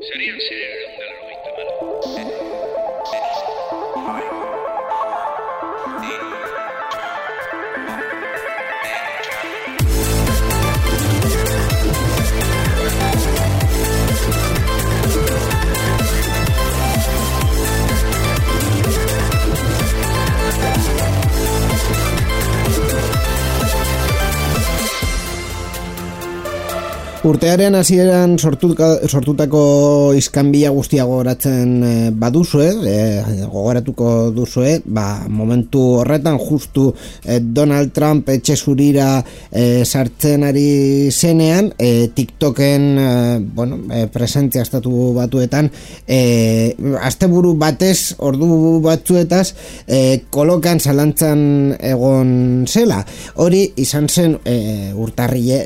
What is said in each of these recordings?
Serían 190 malo. Urtearen hasieran sortutako iskanbila guztia gogoratzen baduzue, gogoratuko duzue, momentu horretan justu Donald Trump etxe zurira sartzen ari zenean, TikToken presentzia estatu batuetan, asteburu batez, ordu batzuetaz, kolokan zalantzan egon zela. Hori izan zen urtarria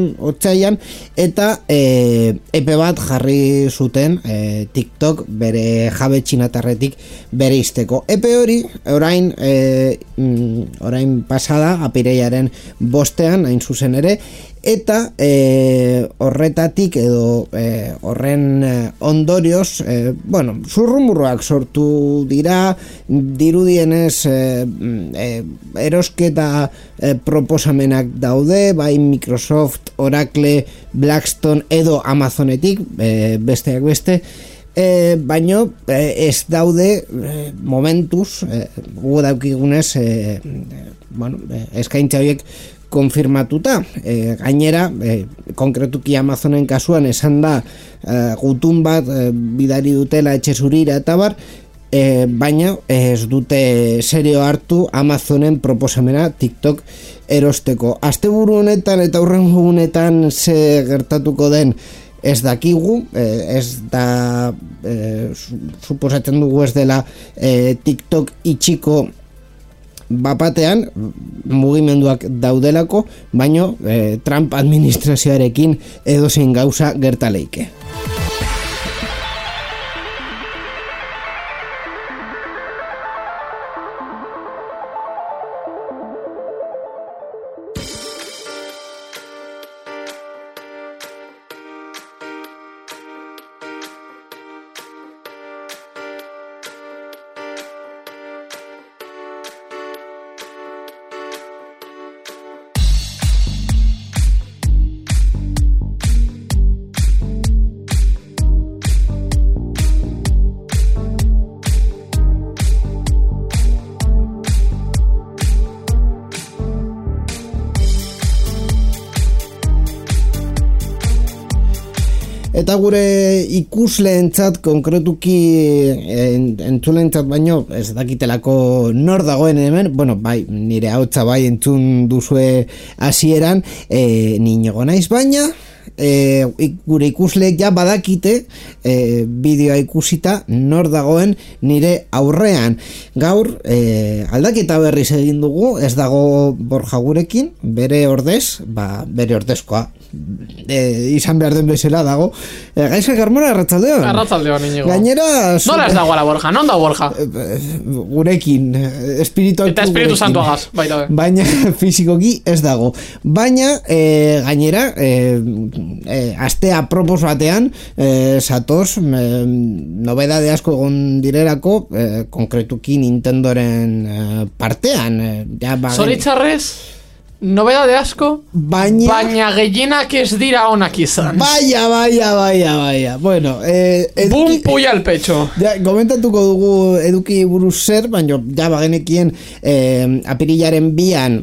otsaian, eta epe bat jarri zuten TikTok bere jabe txinatarretik bere izteko. Epe hori orain pasada apirilaren 5ean hain zuzen ere, eta horretatik edo horren ondorioz zurrumurroak sortu dira, dirudienez erosketa proposamenak daude, bai Microsoft, Oracle, Blackstone edo Amazonetik, besteak beste, baino ez daude momentuz gu daukigunez eskaintza horiek konfirmatuta. Gainera, konkretuki Amazonen kasuan esan da gutun bat bidari dutela etxe zurira eta bar, baina ez dute serio hartu Amazonen proposamena TikTok erosteko. Asteburu honetan eta hurrengo egunetan ze gertatuko den ez dakigu, ez da suposatzen dugu ez dela TikTok itxiko bapatean, mugimenduak daudelako, baino Trump administrazioarekin edozein gauza gertaleike. Eta gure ikusleentzat, konkretuki entzuleentzat baino, ez dakitelako nor dagoen hemen, bai, nire ahotsa bai entzun duzue hasieran, ni nago naiz, baina gure ikusleek ja badakite bideoa ikusita nor dagoen nire aurrean. Gaur aldaketa berriz egin dugu, ez dago Borja gurekin, bere ordez, bere ordezkoa izan behar den bezala dago. Gaizka Carmona, arratsaldeon. Arratsaldeon, Iñigo. Gainera nola ez dago ala Borja, non da Borja? Gurekin, espiritu eta espiritu santuagaz, baita be. Baina fizikoki ez dago. Baina gainera aste apropos batean satoz nobedade asko egon direlako, konkretuki Nintendoren partean. Zoritzarrez nobedade asko, baina gehienak ez dira onak izan. Baia. Bueno, bum puya al pecho. Komentatuko dugu eduki buruz zer, baina ja bagenekien apirilaren 2an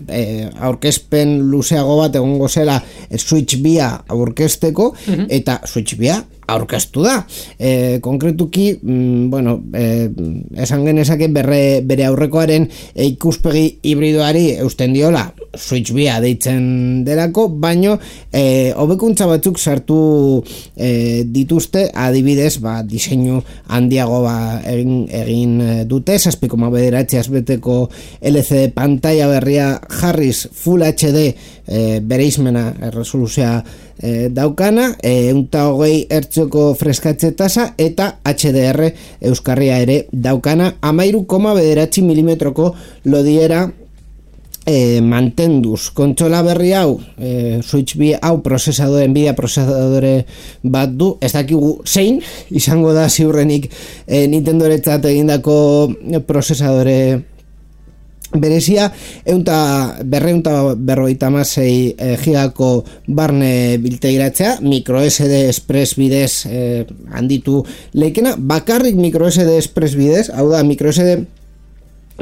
aurkezpen luzeago bat egongo zela Switch 2 aurkezteko, eta Switch 2 aurkeztu da. Konkretuki, esan genezake bere aurrekoaren ikuspegi hibridoari eusten diola Switch 2 deitzen delako, baino hobekuntza batzuk sartu dituzte, adibidez, diseinu handiago egin dute, 7,9 beteko LCD pantalla berria jarriz Full HD bereizmena resoluzioa daukana, 120 hertzoko freskatze tasa eta HDR euskarria ere daukana, 13,9 milimetroko lodiera mantenduz kontsola berri hau Switch 2 hau Nvidia prozesadore bat du, ez dakigu zein izango da ziurrenik Nintendoretzat egindako prozesadore berezia, 256 gigako barne biltegiratzea, micro SD Express bidez handitu leikena, bakarrik micro SD Express bidez, hau da micro SD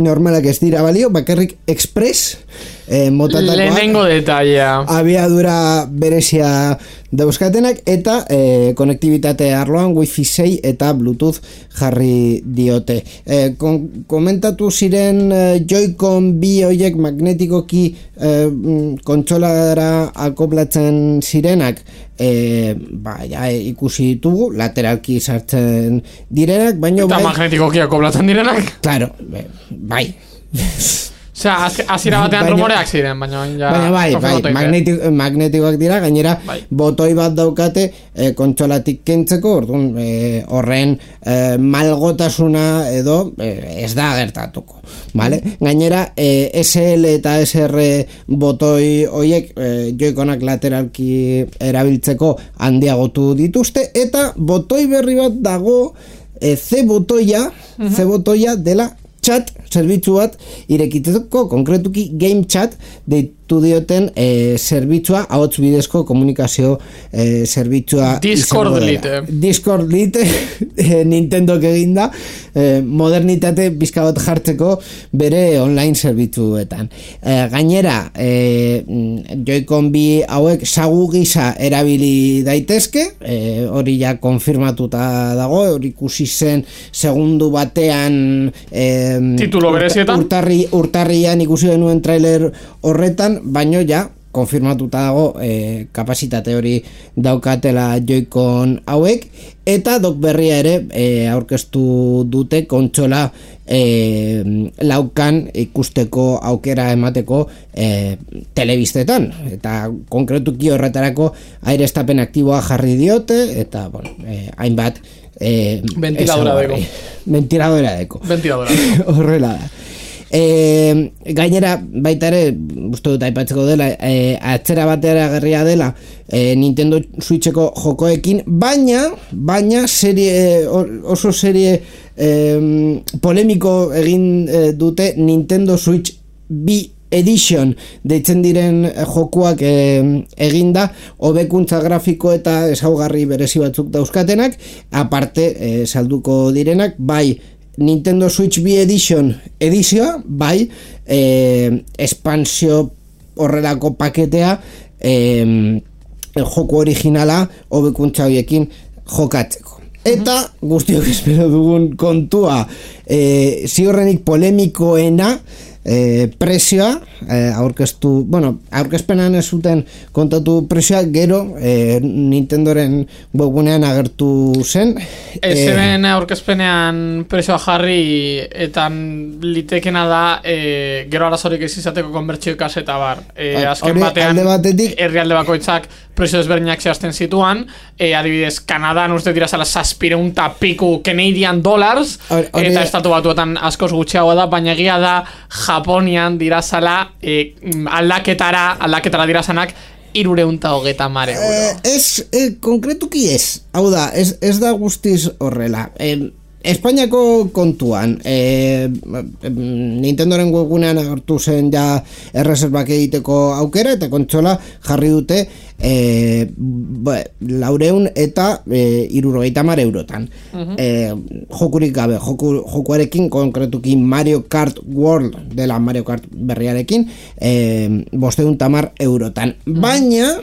normalak ez dira balio, bakarrik Express motatakoak, lehenengo detailea, abiadura berezia dauzkatenak, eta konektibitate arloan Wi-Fi 6 eta Bluetooth jarri diote. Komentatu ziren Joy-Con bi horiek magnetikoki kontsolara akoplatzen zirenak, ikusi ditugu lateralki sartzen direnak, baina eta magnetikoki akoplatzen direnak? Claro, bai. Osea, azira batean rumoreak ziren, baina bai, magnetikoak dira, gainera botoi bat daukate kontsolatik kentzeko, orduan horren malgotasuna edo ez da gertatuko, vale? Gainera SL eta SR botoi hoiek Joy-Conak lateralki erabiltzeko handiagotu dituzte, eta botoi berri bat dago C botoia dela chat zerbitzu bat irekitzeko, konkretuki game chat deitu dioten zerbitzua, ahots bidezko komunikazio zerbitzua Discord Lite Nintendok eginda modernitate bizka bat jartzeko bere online zerbitzuetan. Gainera Joy-Con bi hauek sagu gisa erabili daitezke, hori ja konfirmatuta dago, hori ikusi zen segundu batean titulo berezietan urtarrian ikusi genuen trailer horretan, baino ja konfirmatuta dago kapasitate hori daukatela Joy-Con hauek, eta dok berria ere aurkeztu dute kontsola laukan ikusteko aukera emateko telebistetan, eta konkretuki horretarako aireztapen aktiboa jarri diote, eta hainbat ventiladora deko horrela da. Gainera baita ere uste dut aipatzeko dela, atzera batera gerria dela Nintendo Switcheko jokoekin, baina oso serie polemiko egin dute Nintendo Switch 2 Edition deitzen diren jokuak eginda, hobekuntza grafiko eta ezaugarri berezi batzuk dauzkatenak, aparte salduko direnak, bai Nintendo Switch 2 edizioa, bai espansio horrelako paketea joku originala hobekuntza horiekin jokatzeko. Eta guztiok espero dugun kontua, ziurrenik polemikoena, prezioa aurkezpenan ez zuten kontatu prezioa, gero Nintendoren webgunean agertu zen, zeren aurkezpenean prezioa jarri, eta litekena da gero arazorik ez izateko konbertsio kaseta bar, azken batean herrialde bakoitzak prezio ezberdinak zehazten zituan, adibidez Kanadan uste dira zala 700 piku Canadian dollars, eta estatu batuetan askoz gutxiago da, baina egia da Japonian dira zala aldaketara dira zanak 330 euro. Konkretuki ez, hau da, ez da guztiz horrela. Espainiako kontuan Nintendoren webgunean agertu zen ja erreserbak egiteko aukera, eta kontsola jarri dute 400 eta 330 eurotan. Jokurik gabe, jokuarekin, konkretuki Mario Kart World dela Mario Kart berriarekin 510 eurotan. Baina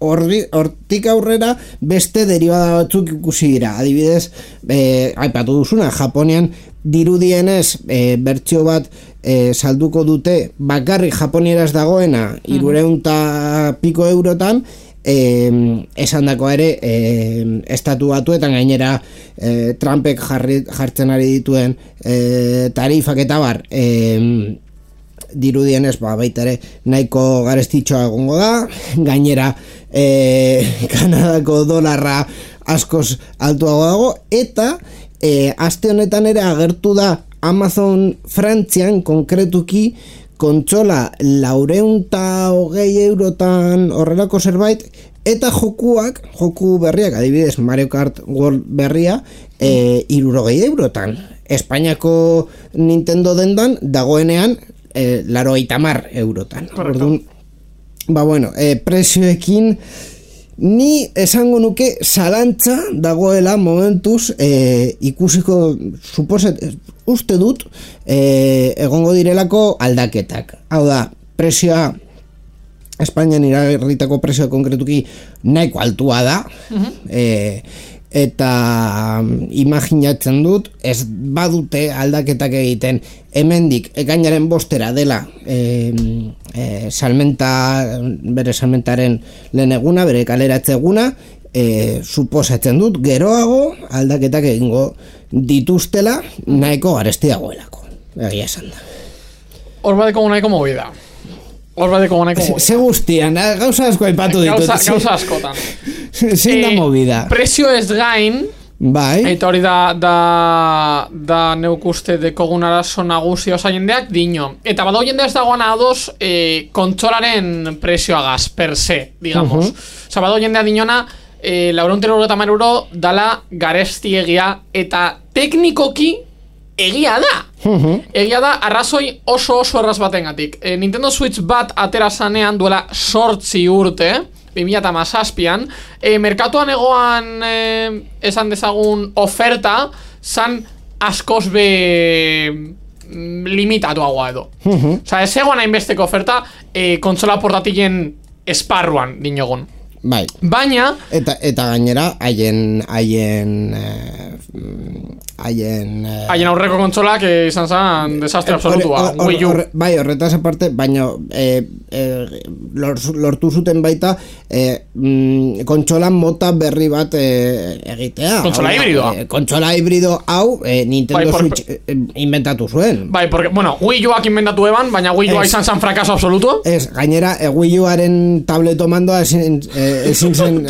hortik aurrera beste derivada batzuk ikusi dira, adibidez aipatu duzuna, Japonian dirudienez bertsio bat salduko dute bakarrik japonieraz dagoena 300 piko eurotan, esandakoa ere estatu batuetan gainera Trumpek jartzen ari dituen tarifak eta bar dirudienez baita ere nahiko garestitxoa egongo da, gainera Kanadako dolarra askoz altuago dago, eta aste honetan ere agertu da Amazon Frantzian konkretuki kontsola 420 eurotan horrelako zerbait, eta joku berriak, adibidez Mario Kart World berria, 60 eurotan. Espainiako Nintendo dendan dagoenean 80 eurotan. Orduan, prezioekin ni esango nuke zalantza dagoela momentuz ikusiko uste dut egongo direlako aldaketak. Hau da, prezioa Espainian iragarritako prezioa konkretuki nahiko altua da, eta imaginatzen dut ez badute aldaketak egiten hemendik ekainaren 5 dela bere salmentaren lehen eguna, bere kaleratze eguna, suposatzen dut geroago aldaketak egingo dituztela nahiko garesti dagoelako, egia esan da. Hor badeko nahiko movida. Ze guztian, gauza asko aipatu ditut. Gauza askotan. Zein da movida. Prezio ez gain, bai. Eta hori da neuk uste dekogun arazo nagusi osa jendeak dino. Eta badau jende ez dagoan ados kontsolaren prezioagaz, per se, digamos. Osa, badau jendea dinona 430 euro dala garesti egia eta teknikoki egia da. Egia da, arrazoi oso erraz batengatik. Nintendo Switch bat atera zanean duela 8 urte, 2017an, merkatuan egoan esan dezagun oferta zan askoz be limitatuagoa edo. Osa, ez egoan hainbesteko oferta kontsola portatilen esparruan dinogun. Bai. Baina eta gainera haien aurreko kontsolak izan zen desastre absolutua. Wii U. Bai, horretaz aparte, baina lortu zuten baita kontsolan mota berri bat egitea. Kontsola hibridoa. Kontsola hibrido hau Nintendo Switch inventatu zuen. Bai, porque, Wii Uak inventatu eban, baina Wii Ua izan zen frakaso absolutu. Ez, gainera, Wii Uaren tableto mandoa ezin zen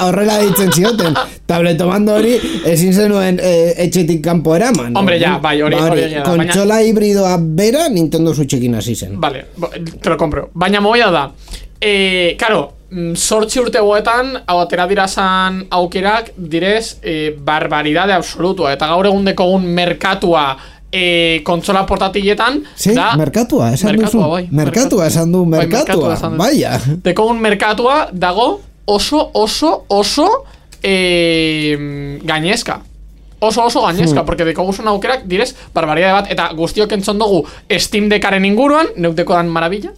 horrela ditzen zioten tableto mando hori ezin zenuen etxetik kanpo eraman. Hombre, ja, bai, hori kontsola hibridoa bera Nintendo Switchekin hasi zen. Vale, te lo compro. Baina movida da, claro, 8 urte goetan hau atera dirazan aukerak direz barbaridade absolutua, eta gaur egun dekogun merkatua kontsola portatiletan da, merkatua esan duzu. Merkatua esan du, merkatua. Baia. Dekogun merkatua dago oso gainezka. Oso gainezka, porque dekoguzun aukerak direz barbaridade bat, eta guztiok entzon dugu Steam Deckaren inguruan, neuteko dan maravilla.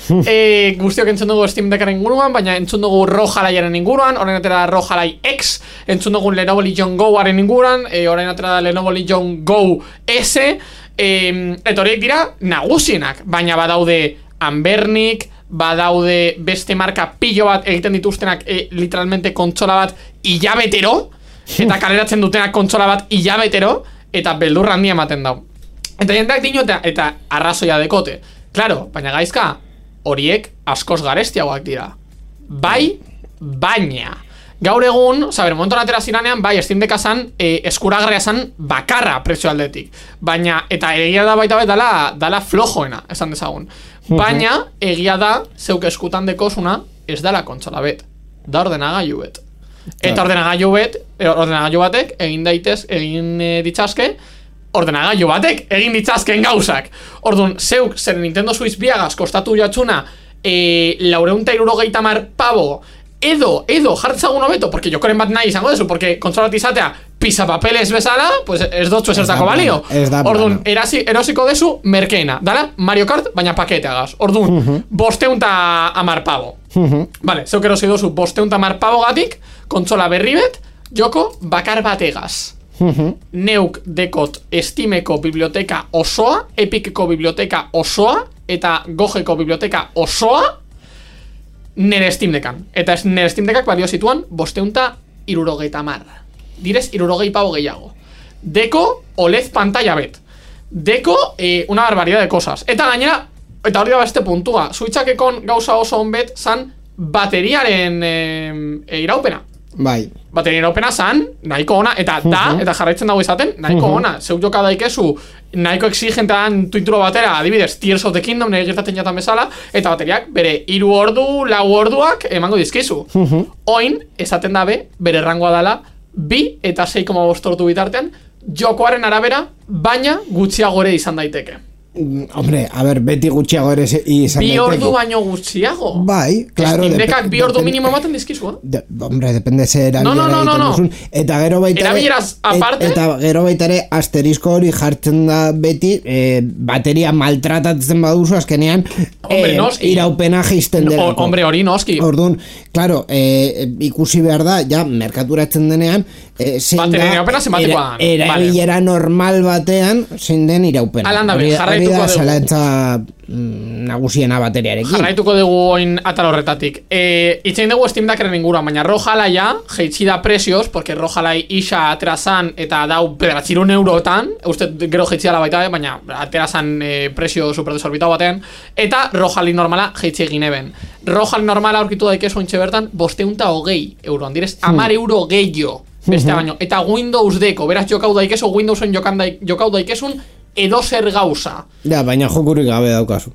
Guztiok entzun dugu Steam Deckaren inguruan, baina entzun dugu ROG Alaiaren inguruan, orain atera ROG Alai X, entzun dugu Lenovo Legion Go-aren inguruan, orain atera Lenovo Legion Go S, eta horiek dira nagusienak, baina badaude Anbernik, badaude beste marka pillo bat egiten dituztenak literalmente kontsola bat hilabetero, eta kaleratzen dutenak kontsola bat hilabetero, eta beldurra handia ematen dau. Eta jendeak dino eta arrazoia dekote. Claro, baina gaizka, horiek askoz garestiagoak dira. Bai, baina gaur egun, momentuan atera ziranean, bai, Steam Decka zan eskuragarria zan bakarra prezio aldetik. Baina, eta egia da baita bet dala flojoena, esan dezagun. Baina, egia da, zeuk eskutan dekozuna, ez dala kontsola bet, da ordenagailu bet. Eta ordenagailu batek egin ditzazke, ordenagailu batek egin ditzazken gauzak. Orduan, zeuk zer Nintendo Switch biagaz kostatu jatzuna 460 pavo edo jartzagun hobeto, porque jokoren bat nahi izango dezu, porque kontsola bat izatea pisapapeles bezala, pues ez dotzu esertako balio. Orduan, erosiko dezu merkeena, dala Mario Kart, baina paketeagaz. Orduan, 510 pavo. Vale, zeuk erosi dozu 510 pavo gatik, kontsola berri bet, joko bakar bategaz. Neuk dekot Steameko biblioteka osoa, Epiceko biblioteka osoa, eta Gogeko biblioteka osoa nere Steam Deckan. Eta nere Steam Deckak balio zituan 570. Direz 60 pavo gehiago. Deko OLED pantalla bet. Deko una barbaridad de cosas. Eta gainera, eta hori da beste puntua, Switchakekon gauza oso onbet zan bateriaren iraupena. Bai. Bateria iraupena zan, nahiko ona, eta eta jarraitzen dago izaten, nahiko ona. Zeu joka daikezu, nahiko exigentean tuituro batera, adibidez, Tears of the Kingdom, nire gertatzen jatan bezala, eta bateriak bere 3 ordu, 4 orduak emango dizkizu. Oin, esaten dabe, bere rangoa dela, 2 eta 6,5 ordu bitartean, jokoaren arabera, baina gutxiagore izan daiteke. Hombre, a ver, beti gutxiago ere izan daiteke. 2 ordu baino gutxiago. Bai, claro. Steam 2 ordu minimo ematen dizkizu, hombre, depende ze erabilera no. Eta gero baita erabileraz aparte. Eta gero baita ere asterisko hori jartzen da beti bateria maltratatzen baduzu azkenean iraupena jaisten dela. Hombre, hori noski. Orduan, claro, ikusi behar da, ja, merkaturatzen denean zein da erabilera normal batean zein den iraupena. Alanda be, jarraituko dugu. Zalantza nagusiena bateriarekin. Jarraituko dugu oin atal horretatik. Itxein dugu Steam Deckeren inguruan, baina Rojalai jeitsi da presios, porque Rojalai isa aterazan eta dau 900 eurotan, uste gero jeitsi dela baita, baina aterazan presio superdesorbitau batean, eta Rojalai normala jeitsi egin eben. Rojalai normala aurkitu daikezu ontxe bertan 520 euroan, direz 10 euro gehiago beste baino. Eta Windows Deko, beraz jokau daikezu, Windowsen jokau daikezun edo zer gauza. Ja, baina jokurik gabe daukazu.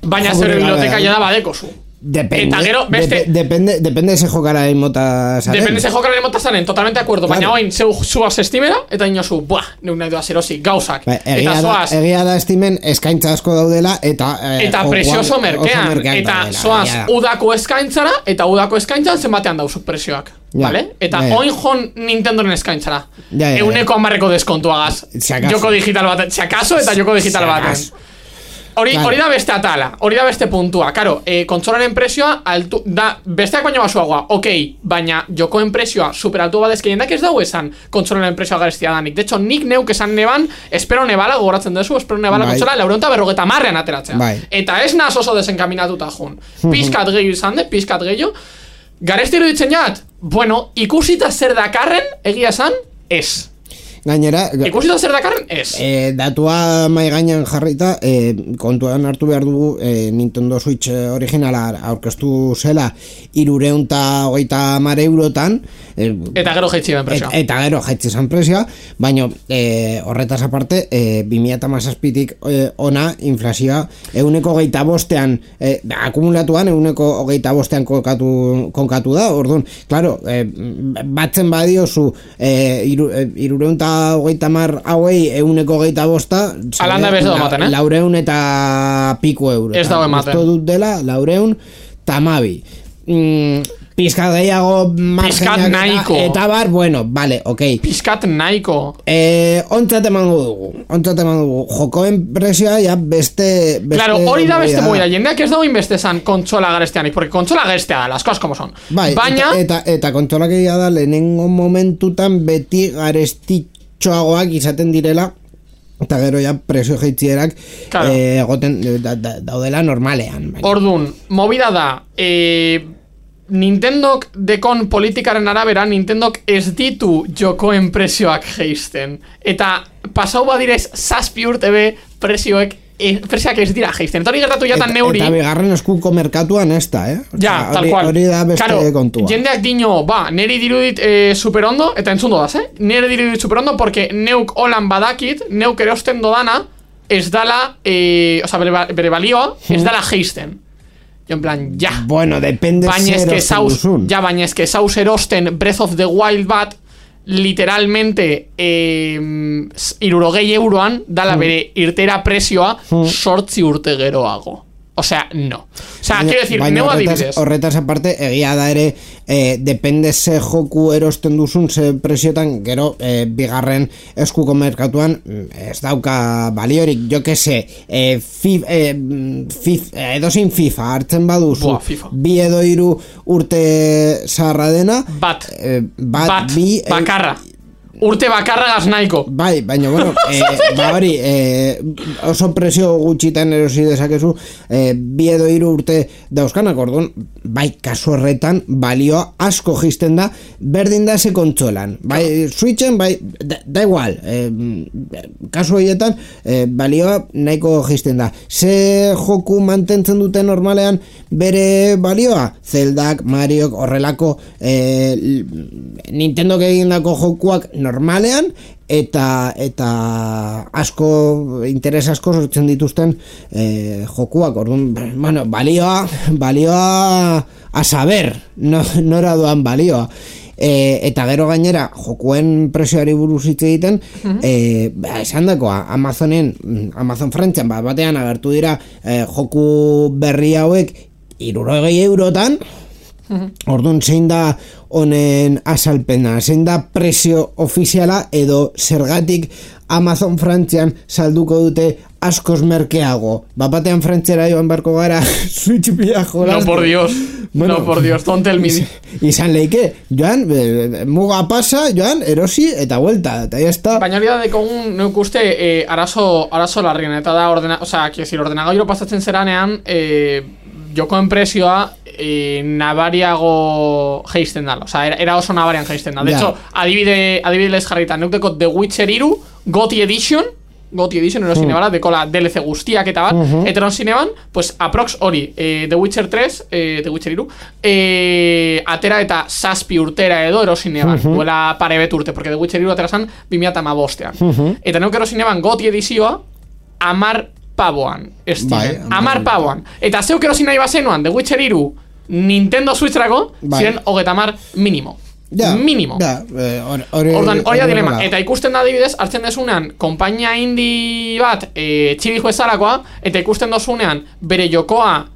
Baina zer biblioteka ja da badekozu. Depende. Eta gero beste depende se jokara mota zaren. Depende se jokara mota zaren, totalmente de acuerdo, claro. Baina oin zuaz Steamera eta inozu, neu nahi doa zerosi, gauzak. Eta zoaz egia da Steamen eskaintza asko daudela eta presioso merkean. Eta zoaz udako eskaintzara eta udako eskaintzan zenbatean dauzuk presioak. Vale? Eta oin jon Nintendoren eskaintzara. Euneko 10 deskontuagaz. Joko digital baten, txakaso eta joko digital baten. Hori da beste atala, hori da beste puntua. Karo, kontsolaren presioa altu, da, besteak baino basuagoa, baina jokoen presioa super altu badezke jendak ez dago esan kontsolaren presioa garestia danik. De hecho, nik neuk esan neban, espero nebala, gogoratzen dezu, espero nebala kontsola 450 ateratzea. Eta ez naz oso desenkaminatuta jun. Pizkat gehiago izan de, pizkat gehiago. Garesti iruditzen jat, bueno, ikusita zer dakarren, egia esan, ez. Gainera, ikusita zer dakarren, ez. Datua mai gainean jarrita, kontuan hartu behar dugu Nintendo Switch originala aurkeztu zela 330 eurotan. Eta gero jaitzi ben presioa. Eta gero jaitzi zen presioa, baina horretaz aparte, 2017tik ona inflazioa 125ean akumulatuan 125ean konkatu da, orduan, claro, batzen badiozu 330 hauei 125 alanda bezo ematen, 400 eta piku euro. Ez dago ematen. Esto dut dela 412. Pizkat gehiago margenak eta bar, bueno, vale, Pizkat nahiko. Ontzat emango dugu. Jokoen presioa ja beste claro, hori da beste moida. Jendeak ez dago inbeste zan kontsola garesteanik, porque kontsola garestea da, las cosas como son. Baina eta kontsola gehiago da lehenengo momentutan beti garestitxoagoak izaten direla. Eta gero ja presio jeitzierak egoten daudela normalean. Orduan, movida da Nintendok dekon politikaren arabera Nintendok ez ditu jokoen presioak jeisten. Eta pasau badirez 7 urte be presioak ez dira jeisten. Eta hori gertatu jatan neuri. Eta bigarren eskuko merkatuan ez da, Ja, tal cual. Hori da beste kontua. Jendeak dino, neri dirudit superondo, eta entzundo daz, neri dirudit superondo, porque neuk holan badakit, neuk erosten dodana, ez dala, bere balioa, ez dala jeisten. En plan, ja. Bueno, depende zer erosten duzun. Ja, baina eske zauz erosten Breath of the Wild bat literalmente 60 euroan dala bere irtera presioa 8 urte geroago. O sea, no. O sea, quiero decir, neu adibidez. Horretaz aparte, egia da ere, depende ze joku erosten duzun, ze presiotan, gero, bigarren eskuko merkatuan, ez dauka baliorik, jo que se, edozein FIFA hartzen baduzu, bi edo 3 urte zaharra dena, bakarra. urte bakarragaz nahiko. Bai, baina, bueno, ba hori, oso presio gutxitan erosi dezakezu, 2 edo 3 urte dauzkanak, orduan, bai, kasu horretan, balioa asko jisten da, berdin da ze kontsolan. Bai, Switchen, bai, da igual, kasu horietan, balioa nahiko jisten da. Ze joku mantentzen dute normalean bere balioa? Zeldak, Mariok, horrelako Nintendok egindako jokuak normalean eta asko interes asko sortzen dituzten jokuak. Orduan, bueno, balioa a saber, nora doan balioa. Eta gero gainera jokuen presioari buruz hitz egiten, esan dakoa, Amazon Frantzian batean agertu dira joku berri hauek 60 eurotan. Orduan, zein da honen azalpena, zein da presio ofiziala edo zergatik Amazon Frantzian salduko dute askoz merkeago. Batean Frantziara joan barko gara Switch pila jolaz. No, por Dios. Bueno, no, por Dios, don't tell me. Izan leike, joan, muga pasa, joan, erosi eta vuelta, eta ya está. Baina hori da dekogun, neuk uste, arazo larrien, eta da, ordenagailu pasatzen zeranean, jokoen presioa nabariago geisten dala, era oso nabarian geisten dala. De hecho, adibidez jarritan, neuk The Witcher 3 GOTY Edition erosin ebala, dekola DLC guztiak eta bat, eta erosin eban, pues aprox hori, The Witcher 3, The Witcher 3, atera eta 7 urtera edo erosin eban, duela parebet urte, porque The Witcher 3 atera zan 2015. Eta neuk erosin eban GOTY edizioa 10 pavoan, estimen, 10 pavoan. Eta zeuk erosin nahi bazenuan, The Witcher 3 Nintendo Switcherako, ziren 30 minimo. Minimo. Ordan, hori da dilema. Eta ikusten da adibidez, hartzen desunean, konpainia indie bat txibi juezalakoa, eta ikusten dozunean, bere jokoa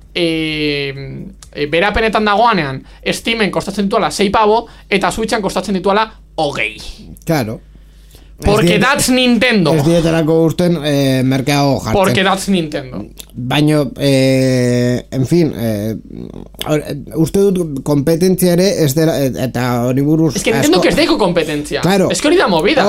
berapenetan dagoanean, Steamen kostatzen dituala 6 pavo, eta Switchan kostatzen dituala 20. Claro. Porque that's Nintendo. Ez dietarako urten merkeago jartzen. Porque that's Nintendo. Baina, en fin, uste dut kompetentzia ere ez dela, eta hori buruz... Es que Nintendo que ez deiko kompetentzia. Claro. Es que hori da movida.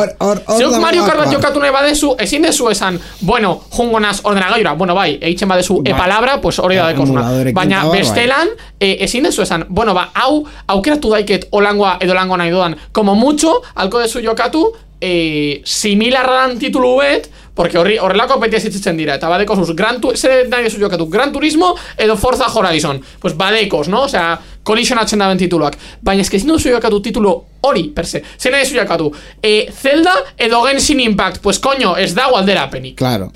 Zeuk Mario Kart bat jokatu nahi badezu, ezin dezu esan, bueno, jungo naz ordenagailura, bueno, bai, egiten badezu e-palabra, pues hori da dekozuna. Baina bestelan, ezin dezu esan, bueno, ba, hau, aukeratu daiket olangoa edo lango nahi dudan, como mucho, alko dezu jokatu, similarran titulu bet, porque horrelako petia zitzen dira, eta badeko zuz, zer nahi dezu jokatu, Gran Turismo edo Forza Horizon, pues badekos, no? Osea, kolisionatzen daben tituluak, baina ez que ezin duzu jokatu titulu hori, per se, zer nahi dezu jokatu, Zelda edo Genshin Impact, pues coño, ez dago alderapenik. Claro.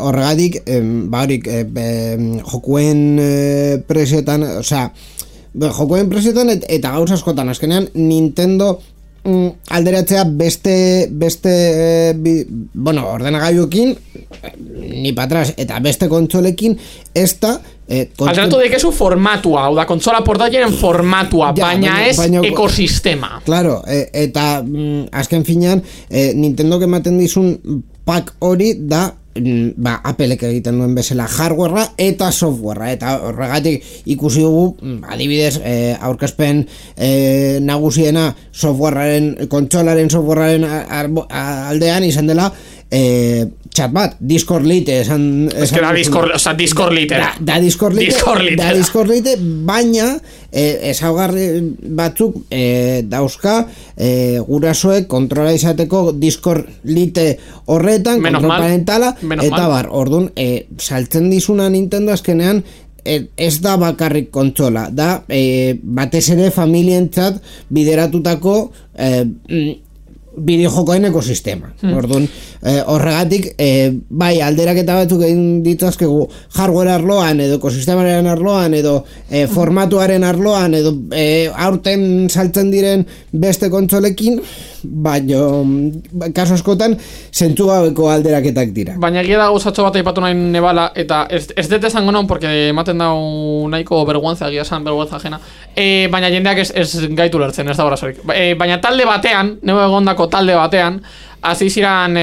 Horregatik, bahorik, jokuen presioetan, osea, jokuen presioetan eta gauz askotan, azkenean Nintendo alderatzea beste bueno, ordenagailuekin ni patras eta beste kontsolekin esta alderatu dekezu formatua, hau da, kontsola portatien formatua, baina ez ekosistema. Claro, eta azken finean Nintendo ematen dizun pack hori da Applek egiten duen bezala hardwarea eta softwarea, eta horregatik ikusi dugu adibidez aurkezpen nagusiena kontsolaren softwarearen aldean izan dela chat bat, Discord Lite es que da Discord Lite da Discord Lite, baina ezaugarri batzuk dauzka gurasoek kontrola izateko Discord Lite horretan, kontrol parentala eta bar, orduan saltzen dizuna Nintendo azkenean ez da bakarrik kontsola, da batez ere familientzat bideratutako bideojokoen ekosistema. Orduan, horregatik, bai, alderaketa batzuk egin ditzazkegu hardware arloan, edo ekosistemaren arloan, edo formatuaren arloan, edo aurten saltzen diren beste kontsolekin, baina kaso askotan zentzu gabeko alderaketak dira. Baina egia da gauzatxo bat aipatu nahi nebala, eta ez dut esango non, porque ematen dau nahiko vergüenza, egia esan vergüenza ajena, baina jendeak ez gaitu lertzen, ez da horazorik. Baina talde batean, neu egondako talde batean, hasi ziran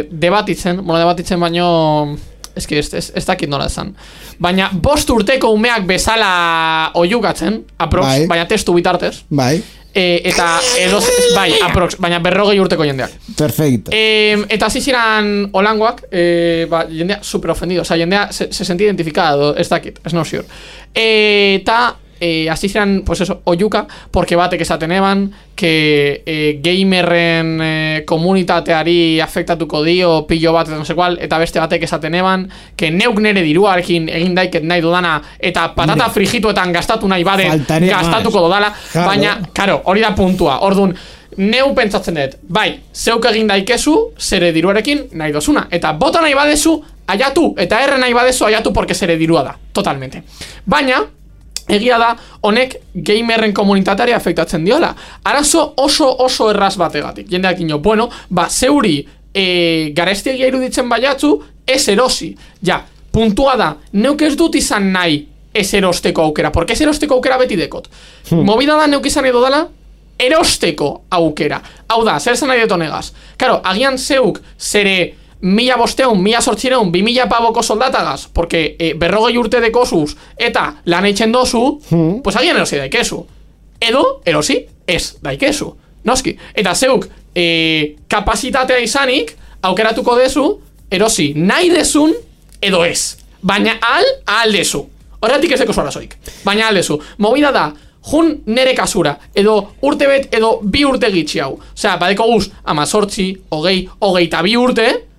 debatitzen baino ez dakit nola esan. Baina 5 urteko umeak bezala oiukatzen, aprox, baina testu bitartez. Bai. eta edo, bai, baina 40 urteko jendeak. Perfecto. Eta hasi ziren olangoak, jendea super ofendido, jendea se sentía identificado, ez dakit, es no sure. Eta hasi ziren, pues eso, oiuka, porque batek esaten eban, que gamerren komunitateari afektatuko dio pillo bat, no sé cual, eta beste batek esaten eban, que neuk nere diruarekin egin daiket nahi dudana, eta patata frigituetan gastatu nahi badet, gastatuko dodala, baina, karo, hori da puntua, ordun, neu pentsatzen dut, bai, zeuk egin daikezu, zere diruarekin nahi dozuna, eta bota nahi badezu, aiatu, eta erre nahi badezu, aiatu, porque zere dirua da, totalmente. Baina, egia da, honek gamerren komunitateari afektatzen diola. Arazo oso erraz bategatik. Jendeak ino, bueno, zeuri garestiegia iruditzen baiatzu, ez erosi. Ja, puntua da, neuk ez dut izan nahi ez erosteko aukera, porque ez erosteko aukera beti dekot. Movida da neuk izan edo dela, erosteko aukera. Hau da, zer zen nahi deto negaz. Karo, agian zeuk zere 1.500, 1.800, 2.000 pavoko soldatagaz, porque 40 urte dekosuz eta lan eitzen dozu, pues agian erosi daikezu. Edo, erosi, ez daikezu. Noski. Eta zeuk kapasitatea izanik, aukeratuko dezu, erosi nahi dezun, edo ez. Baina ahal dezu. Horretik ez dekozu arazoik. Baina ahal dezu. Movida da, jun nere kasura, edo urte bet, edo 2 urte gitxi hau. Osea, badeko guz, 18, 20, 22 urte,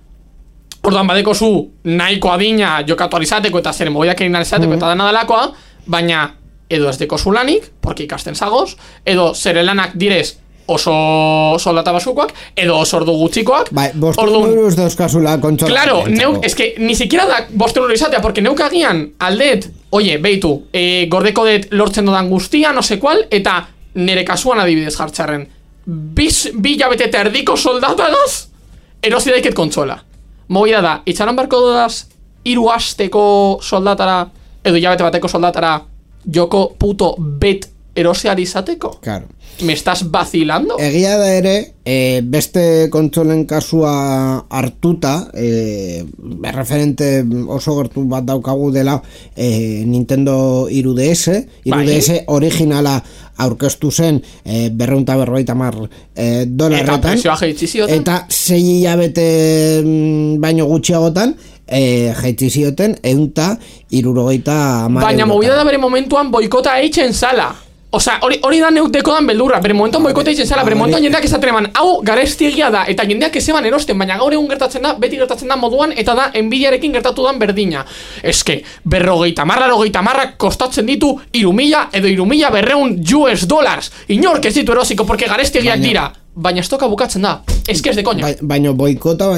orduan badeko zu nahiko adina jokatu alizateko eta zere mobiak egin alizateko eta dena delakoa, baina edo ez deko zu lanik, porque ikasten zagoz, edo zere lanak direz oso soldata basukoak, edo oso ordu gutxikoak. Bai, 500 euros dauzkazula kontsola. Claro, neuk, es que ni siquiera da 500 euro izatea, porque neuk agian aldet, oie, beitu, gordeko det lortzen dodan guztia, no sé cual, eta nere kasuan adibidez jartxarren, bi hilabete eta erdiko soldatagaz, erosi daiket kontsola. Movida da, itxaron barko dudaz 3 asteko soldatara, edo hilabete bateko soldatara, joko puto bet eroseari izateko? Claro. Me estás vacilando? Egia da ere, beste kontsolen kasua hartuta, referente oso gertu bat daukagu dela Nintendo 3DS, 3DS originala aurkeztu zen $250 eta presioa jeitzi zioten, eta 6 hilabete baino gutxiagotan jeitzi zioten 170. Baina movida da bere momentuan boikota eitzen zala. Osa, hori da neuk dekodan beldurra, bere momentuan boikota eitzen zala, bere momentuan jendeak esaten eman, hau garestiegia da, eta jendeak ezeban erosten, baina gaur egun gertatzen da, beti gertatzen da moduan, eta da enbidiarekin gertatu dan berdina. Eske, 50 kostatzen ditu 3.000 edo 3.200 $. Inork ez ditu erosiko, porque garestiegiak dira. Baina estoka bukatzen da, eske ez de koña. Baina boikota,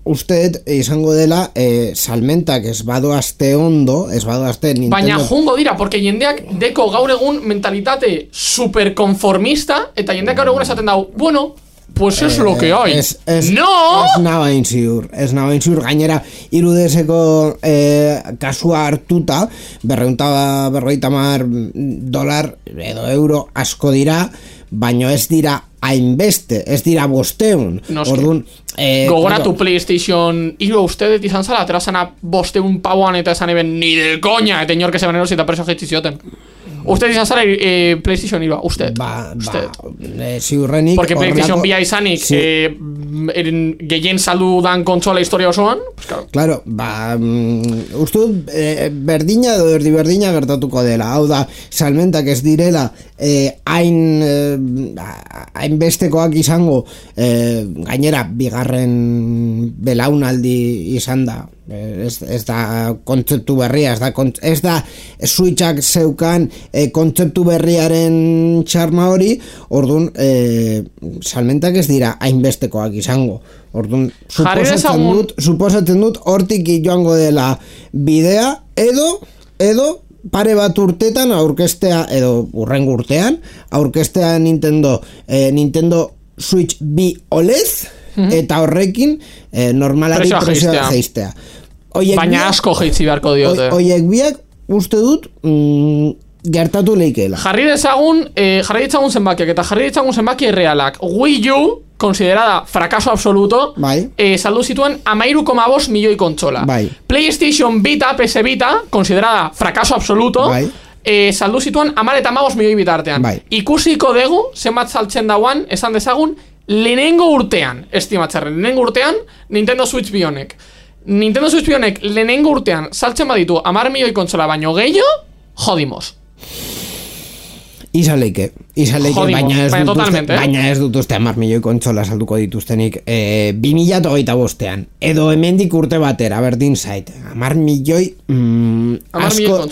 usteet izango dela salmentak ez badoazte ondo, ez badoazte Nintendo. Baina jungo dira, porque jendeak deko gaur egun mentalitate superkonformista, eta jendeak gaur egun esaten dau, bueno, pues es lo que hay. No! Ez nabain ziur, gainera 3DSeko kasua hartuta, $250 edo euro asko dira, baino ez dira hainbeste, ez dira 500. Orduan, gogoratu PlayStation 3 ustedet izan zala, atera zana 500 pauan eta esan eben ni de coña, eta inork esan erosi eta preso jeitzi zioten. Usted izan zara PlayStation 3, usted. Ziurrenik. Porque PlayStation 2 izanik gehien saldu dan kontsola historia osoan. Claro, uste berdina edo erdiberdina gertatuko dela. Hau da, salmentak ez direla hain bestekoak izango, gainera bigarren belaunaldi izan da. Ez da kontzeptu berria, ez da Switchak zeukan kontzeptu berriaren txarma hori, orduan salmentak ez dira hainbestekoak izango. Orduan suposatzen dut hortik joango dela bidea, edo pare bat urtetan aurkestea, edo urrengo urtean aurkestea Nintendo Switch 2 OLED, eta horrekin normalari presioa jeistea. Baina asko jeitzi beharko diote. Oiek biak uste dut gertatu leikeela. Jarri ditzagun zenbakiak, eta jarri ditzagun zenbaki errealak. Wii U, considerada fracaso absoluto, saldu zituen 13,5 milioi kontsola. PlayStation Vita, PS Vita, considerada fracaso absoluto, saldu zituan 10 eta 15 milioi bitartean. Bai. Ikusiko dugu, zenbat saltzen dauan, esan dezagun, lehenengo urtean, estimatzarren, lehenengo urtean, Nintendo Switch Bionek. Nintendo Switch Bionek lehenengo urtean saltzen baditu 10 milioi kontsola baino gehiago, jodimos. Izaleike, Jodimos, baina ez dut uste 10 milioi kontsola salduko dituztenik 2025ean, edo hemendik urte batera, berdin zait. 10 milioi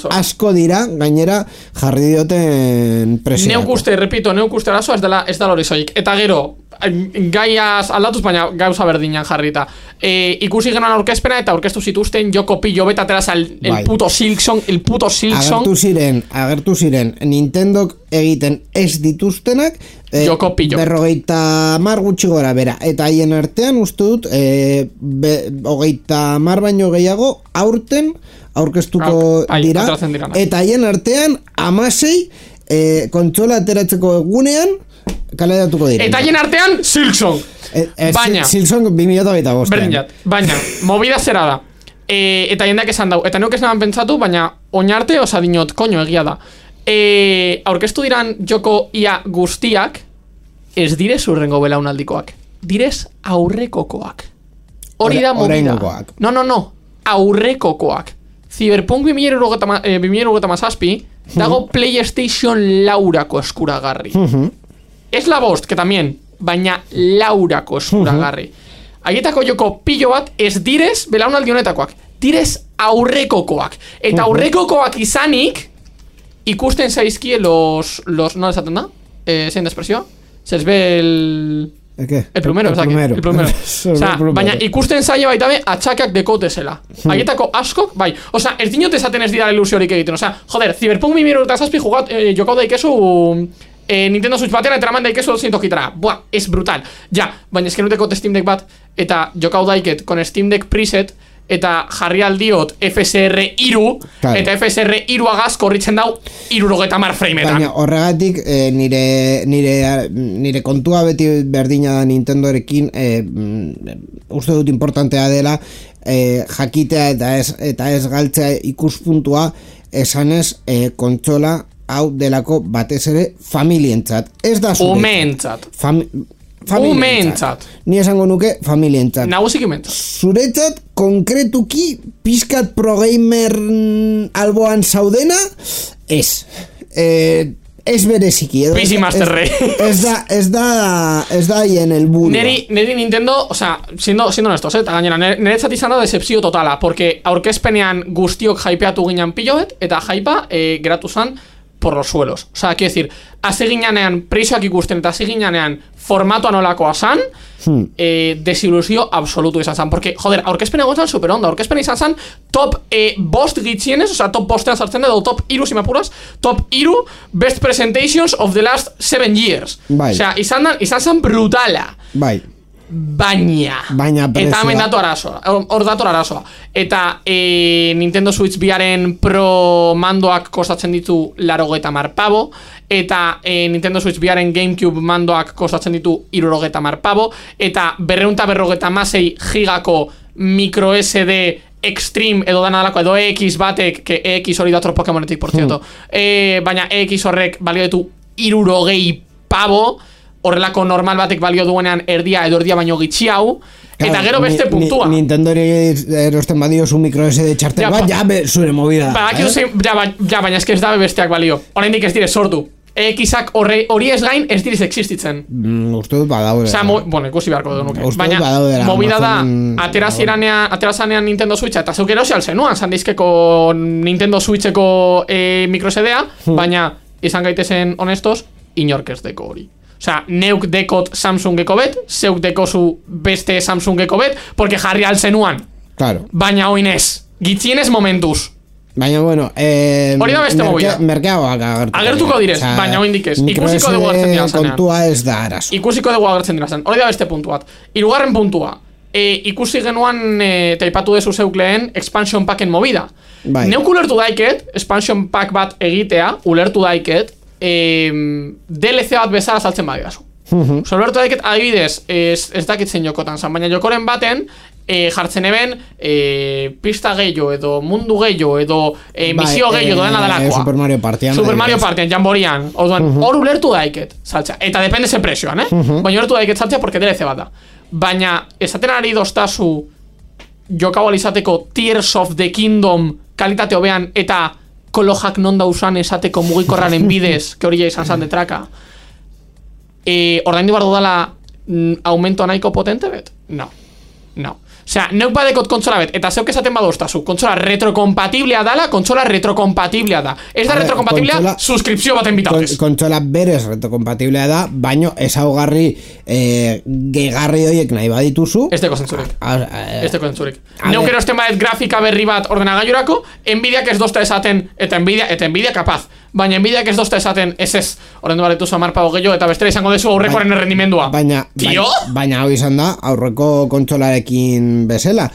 asko dira, gainera jarri dioten presiako. Neuk uste arazoa ez dela hori zoik. Eta gero, gaiaz aldatuz, baina gauza berdinan jarrita. Ikusi genuen aurkezpena eta aurkeztu zituzten Joko Pillo beta teraz el puto Silksong. Agertu ziren Nintendok egiten ez dituztenak Joko Pillo 50 gutxi gora bera. Eta haien artean uste dut 30 baino gehiago aurten aurkeztuko dira. Eta haien artean 16 kontsola ateratzeko egunean kaleratuko dira. Eta haien artean Silksong. Baina Silksong 2025. Baina movida zera da. Eta jendeak esan dau. Eta neuk esan pentsatu, baina oinarte osa dinot, koño, egia da. Aurkeztu diran Joko ia guztiak ez direz urrengo belaunaldikoak. Direz aurrekokoak. Hori da movida. No. Aurrekokoak. Cyberpunk 2077 dago PlayStation laurako eskuragarri. Ez la bost, que también, baina laurako eskuragarri. Haietako Joko Pillo bat ez direz belaunaldi honetakoak. Direz aurrekokoak. Eta aurrekokoak izanik ikusten zaizkie los no esaten da? Zein da espresioa? Se les ve el plumero. El plumero. Baina ikusten zaie baita be atxakak dekotezela. Haietako askok, bai. Osa, ez dinot esaten ez dira ilusiorik egiten. Osa, joder, Cyberpunk 2077 jokau daikezu Nintendo Switch batera eta eraman daikezu 200 kitara. Buah, es brutal. Ja, baina ez kenuteko Steam Deck bat eta jokau daiket con Steam Deck preset eta jarri aldiot FSR 3 eta FSR 3 agaz korritzen dau 70 frameetan. Baina horregatik nire kontua beti berdina da Nintendorekin uste dut importantea dela jakitea eta ez galtzea ikuspuntua esanez kontsola hau delako batez ere familientzat. Ez da zuretzat. Umeentzat. Familientzat. Ni esango nuke familientzat. Nagusiki mentzat. Zuretzat konkretuki pizkat pro gamer alboan zaudena ez. Ez bereziki. PC Master Race. Ez da hien helburua. Neri Nintendo, o sea, siendo honestos, eta gainera, niretzat izan da decepzio totala, porque aurkezpenean guztiok hypeatu ginen pilloet, eta hypea geratu zan por los suelos. O sea, quiero decir, hasi ginean preisoak ikusten eta hasi ginean formatoa nolakoa zan, desilusio absolutu izan zan. Porque, joder, aurkezpena gozan super onda. Aurkezpena izan zan top bost gitzienez, o sea, top bostean sartzen edo top iru, si me apuras, top iru best presentations of the last 7 years. Bai. O sea, izan zan brutala. Bai. Baina eta hemen hor dator arazoa. Eta Nintendo Switch biaren Pro mandoak kostatzen ditu 80 pavo, eta Nintendo Switch biaren GameCube mandoak kostatzen ditu 70 pavo, eta 256 gigako micro SD Extreme edo dana dalako edo EX batek, que EX hori dator Pokémonetik, por cierto, baina EX horrek balio ditu 70 pavo, horrelako normal batek balio duenean erdia edo erdia baino gitxi hau, eta gero beste puntua. Nintendo erosten badio zu micro SD txartel bat, zure movida. Baina ez da besteak balio. Oraindik ez dire sortu. EX-ak hori ez gain ez direz existitzen. Uste dut badaudera. Bueno, ikusi beharko du nuke. Baina, movida da, aterazanean Nintendo Switcha, eta zeuk erosi alzenuan, sandeizkeko Nintendo Switcheko micro SD-a, baina, izan gaitezen honestos, inork ez deko hori. Osea, neuk dekot Samsungeko bet, zeuk dekozu beste Samsungeko bet, porque jarri alzenuan. Claro. Baina oinez, gitzienez momentuz. Baina, bueno, hori da beste movida. Merkeagoak agertuko direz, baina oindik ez. Ikusiko dugu agertzen dira zanean. Kontua ez da arazo. Ikusiko dugu agertzen dira zanean. Hori da beste puntu bat. Hirugarren puntua. Ikusi genuan, taipatu dezu zeuk lehen, expansion packen movida. Bai. Neuk ulertu daiket, expansion pack bat egitea, ulertu daiket, DLC bat bezala saltzen badidazu. Ulertu daiket, adibidez, ez dakitzen jokotan zan, baina jokoren baten, jartzen eben pista gehiago edo mundu gehiago edo misio gehiago dena delakoa. Super Mario Partian. Super Mario Partian, jamborian. Hor ulertu daiket, saltza. Eta depende ze presioan, baina ulertu daiket saltza porque DLC bat da. Baina, esaten ari doztazu jokau alizateko Tears of the Kingdom kalitate hobean eta kolojak non dausan esateko mugikorraren bidez, que hori ja izan zan detraka. Ordaindu behar dudala aumento nahiko potente bet? No. Osea, neuk badekot kontsola bet, eta zeuk esaten badoztazu, kontsola retrokompatiblea dala, kontsola retrokompatiblea da. Ez da retrokompatiblea, suskripzio baten bitartez. Kontsola berez retrokompatiblea da, baino ezaugarri gehigarri horiek nahi badituzu. Ez deko zentzurik. Neuk erosten badet grafika berri bat ordenagailurako, Nvidiak ez dozta esaten, eta Nvidia kapaz. Baina Nvidiak ez dozta esaten, ez, ordendu baretuzu 10 pago gehiago, eta bestera izango dezu aurrekoaren errendimendua. Baina hau izan da, aurreko kontsolarekin bezala.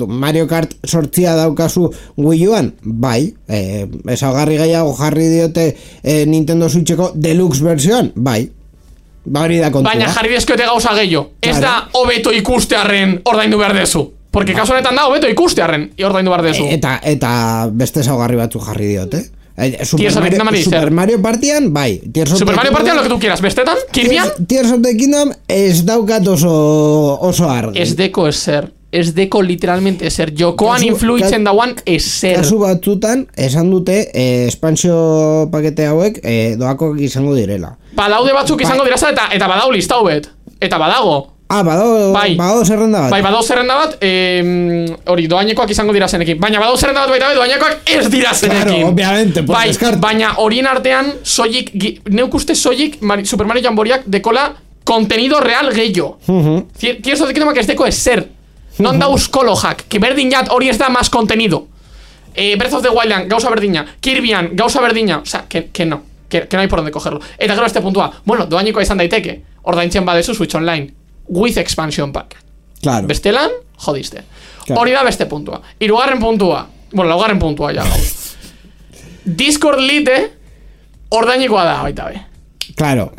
Mario Kart 8 daukazu Wii Uan, bai. Ezaugarri gehiago jarri diote Nintendo Switcheko Deluxe versioan, bai. Hori da kontua. Baina jarri dezkoete gauza gehiago. Ez da hobeto ikustearren ordaindu behar dezu. Porque kasu honetan da hobeto ikustearren ordaindu behar dezu. Eta beste ezaugarri batzu jarri diote. Super Mario Partian, bai. Super Mario Partian lo que tú quieras, bestetan? Kirbian? Tears of the Kingdom ez daukat oso argi. Ez deko eser. Ez deko literalmente eser. Jokoan influitzen dauan eser. Kasu batzutan, esan dute expansio pakete hauek doakoak izango direla. Badaude batzuk izango diraza eta badau listau bet. Eta badago. Badao zerrenda bat. Bai, badao zerrenda bat, hori, doainekoak izango dira zenekin. Baina badao zerrenda bat baita doainekoak ez dira zenekin. Claro, obviamente, por descarte. Baina horien artean, soilik, neuk uste soilik, Super Mario Jamboriak dekola contenido real gehiago. Tieso de que ez deko eser. Non dauz kolojak, que berdin jat hori ez da más contenido. Breath of the Wildland, gauza berdina. Kirbian, gauza berdina. O sea, que no. Que no hay por donde cogerlo. Eta gero este puntua. Bueno, doainekoa izan daiteke. Ordaintzen badezu Switch Online. With expansion pack. Claro. Bestelan, jodiste. Hori da beste puntua. Hirugarren puntua. Bueno, laugarren puntua ja gauz. Discord Lite ordainikoa da baita be. Claro,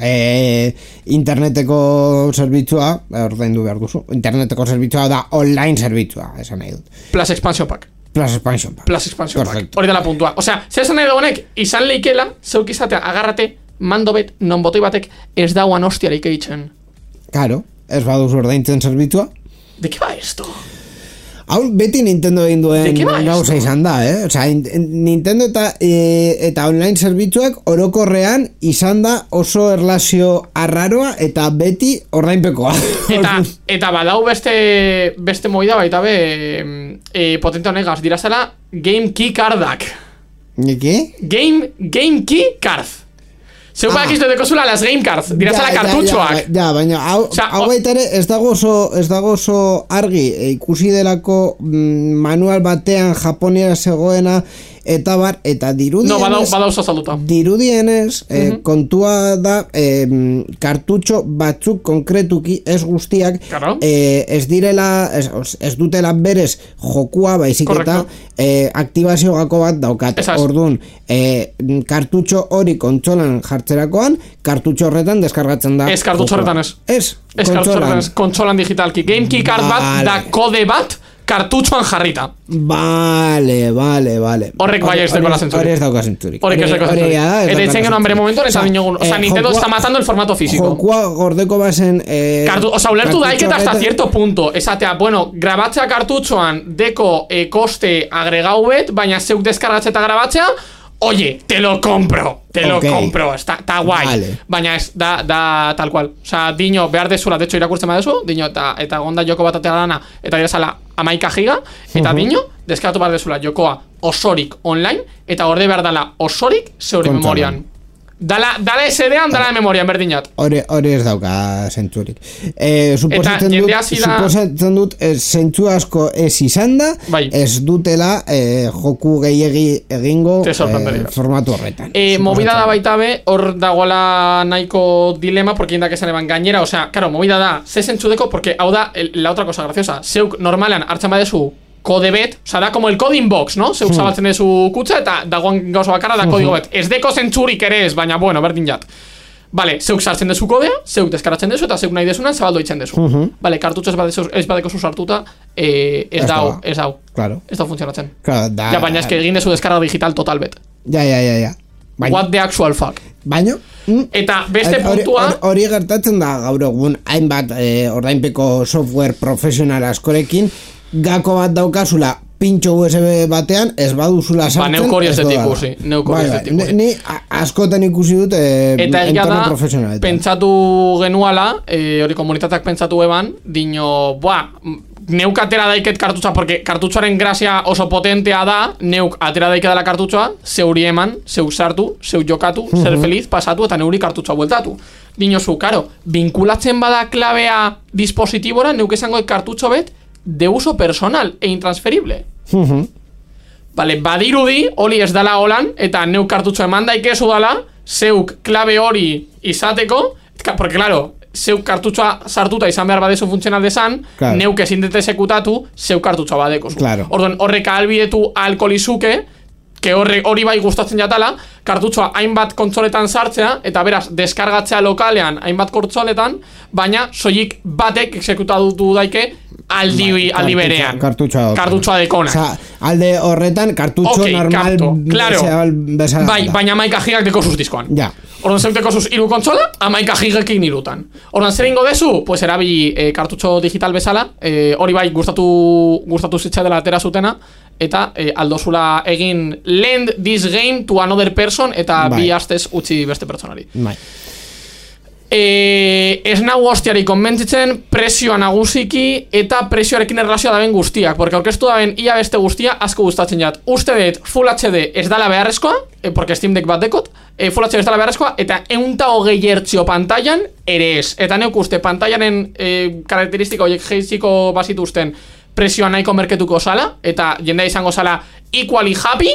interneteko zerbitzua ordaindu behar duzu. Interneteko zerbitzua da online zerbitzua, esan nahi dut. Plus expansion pack. Perfecto. Hori da la puntua. Osea, zer esan nahi da honek, izan leikela, zeuk izatea, agarrate, mando bet, non botoi batek ez dauan hostiarik eitzen. Claro. Ez baduzu ordaintzen zerbitzua. ¿De qué va esto? Hau beti Nintendo egin duen gauza izan da, Osea, Nintendo eta online zerbitzuak orokorrean izan da oso erlazio arraroa eta beti ordainpekoa. Eta badau beste moida baita be potente honegaz dirazela Game Key Cardak. ¿Qué? Game Key Card. Zeu badak izte dekozula las game cards, dirazala kartutxoak. Ja, baina hau baita ere ez dago oso argi ikusi delako manual batean Japonia zegoena eta bar, eta dirudienez... No, badau zazalduta. Dirudienez, kontua da kartutxo batzuk konkretuki ez guztiak ez direla, ez dutela berez jokua baizik eta aktibazio gako bat daukat. Orduan, kartutxo hori kontsolan jartzerakoan, kartutxo horretan deskargatzen da. Ez kartutxo horretan ez. Ez kontsolan digitalki. Game Key Card bat da kode bat kartutxoan jarrita. Vale. Horrek bai ez dekola zentzurik. Horrek ez dauka zentzurik. Horrek ez dekola zentzurik. Eta itzen genuen bere momentu, eta dinogun. O sea, Nintendo está matando el formato físico. Jokua gordeko bazen... O sea, ulertu daiketa hasta cierto punto. Esatea, bueno, grabatzea kartutxoan deko koste agregau bet, baina zeuk deskargatzea eta grabatzea, oye, te lo compro, está guay. Vale. Baina ez, da tal cual. O sea, dino behar dezula, de hecho irakurtzen badezu, dino eta gonda joko bat atea dana, eta direzala 11 giga, eta dino, deskaratu behar dezula jokoa osorik online, eta gorde behar dala osorik zeure memorian. Dala SD-an, dala memorian, berdinat. Hori ez dauka zentzurik. Suposatzen dut, zentzu asko ez izan da, ez dutela joku gehiegi egingo formatu horretan. Movida da baita be, hor dagoela nahiko dilema, porque indak esan eban gainera, o sea, claro, movida da, ze zentzu deko, porque hau da, la otra cosa graciosa, zeuk normalan hartzen badezu kode bet, o sea, da como el coding box, ¿no? Zeuk zabaltzen dezu kutsa eta dagoan gauza bakarra da kodigo bet. Ez deko zentzurik ere ez, baina bueno, berdin jat. Vale, zeuk sartzen dezu kodea, zeuk deskaratzen dezu, eta zeuk nahi dezunan zabaldo itzen dezu. Vale, kartutxo ez badeko sartuta, ez dau. Claro. Ez dau funtzionatzen. Claro, ja, baina eske egin dezu deskarga digital total bet. Ja. Baina. What the actual fuck? Baina? Eta beste puntua... Hori gertatzen da gaur egun, hainbat ordainpeko software profesional askorekin, gako bat daukazula pintxo USB batean, ez baduzula sartzen... Neuk hori ez dut ikusi. Ni askotan ikusi dut entorno profesionaletan. Pentsatu genuala, hori komunitateak pentsatu eban, dino, neuk atera daiket kartutza, porque kartutzoaren grazia oso potentea da, neuk atera daike dela kartutzoa, zeuri eman, zeu sartu, zeu jokatu, ser feliz, pasatu, eta neuri kartutzoa bueltatu. Dinozu, karo, vinculatzen bada klabea dispositibora, neuk esango kartutzo bet, de uso personal e intransferible. Vale, badirudi, hori ez dala holan, eta neuk kartutzo eman daikezu dala, zeuk klabe hori izateko, porque claro, zeuk kartutzoa sartuta izan behar badezu funtzional desan, claro. Neuk ezin dut esekutatu, zeuk kartutzoa badeko zu. Claro. Orduan, horrek albidetu alkolizuke, que hori bai gustatzen jatala, kartutzoa hainbat kontsoletan sartzea, eta beraz, deskargatzea lokalean hainbat kontsoletan, baina soilik batek exekutatu daike aldi berean. Kartutzoa dekona. Osa, alde horretan, kartutzo normal bezala. Bai, baina 11 gigak deko sus diskoan. Ja. Orduan zeuk deko sus 3 kontsola, 11 gigakin 3. Orduan zer ingo dezu? Pues erabili kartutzo digital bezala, hori bai gustatu zitza dela atera zutena, eta aldozula egin lend this game to another person, eta bi astez utzi beste pertsonari. Bai. Ez nago hostiari konbentzitzen presioa nagusiki eta presioarekin erlazioa daben guztiak, porque aurkeztu daben ia beste guztia asko gustatzen jat. Uste dut Full HD ez dala beharrezkoa, porque Steam Deck bat dekot, Full HD ez dala beharrezkoa, eta 120 Hz pantailan ere ez. Eta neuk uste pantailanen karakteristika horiek geiziko bazituzten presioa nahiko merketuko zala, eta jendea izango zala equally happy,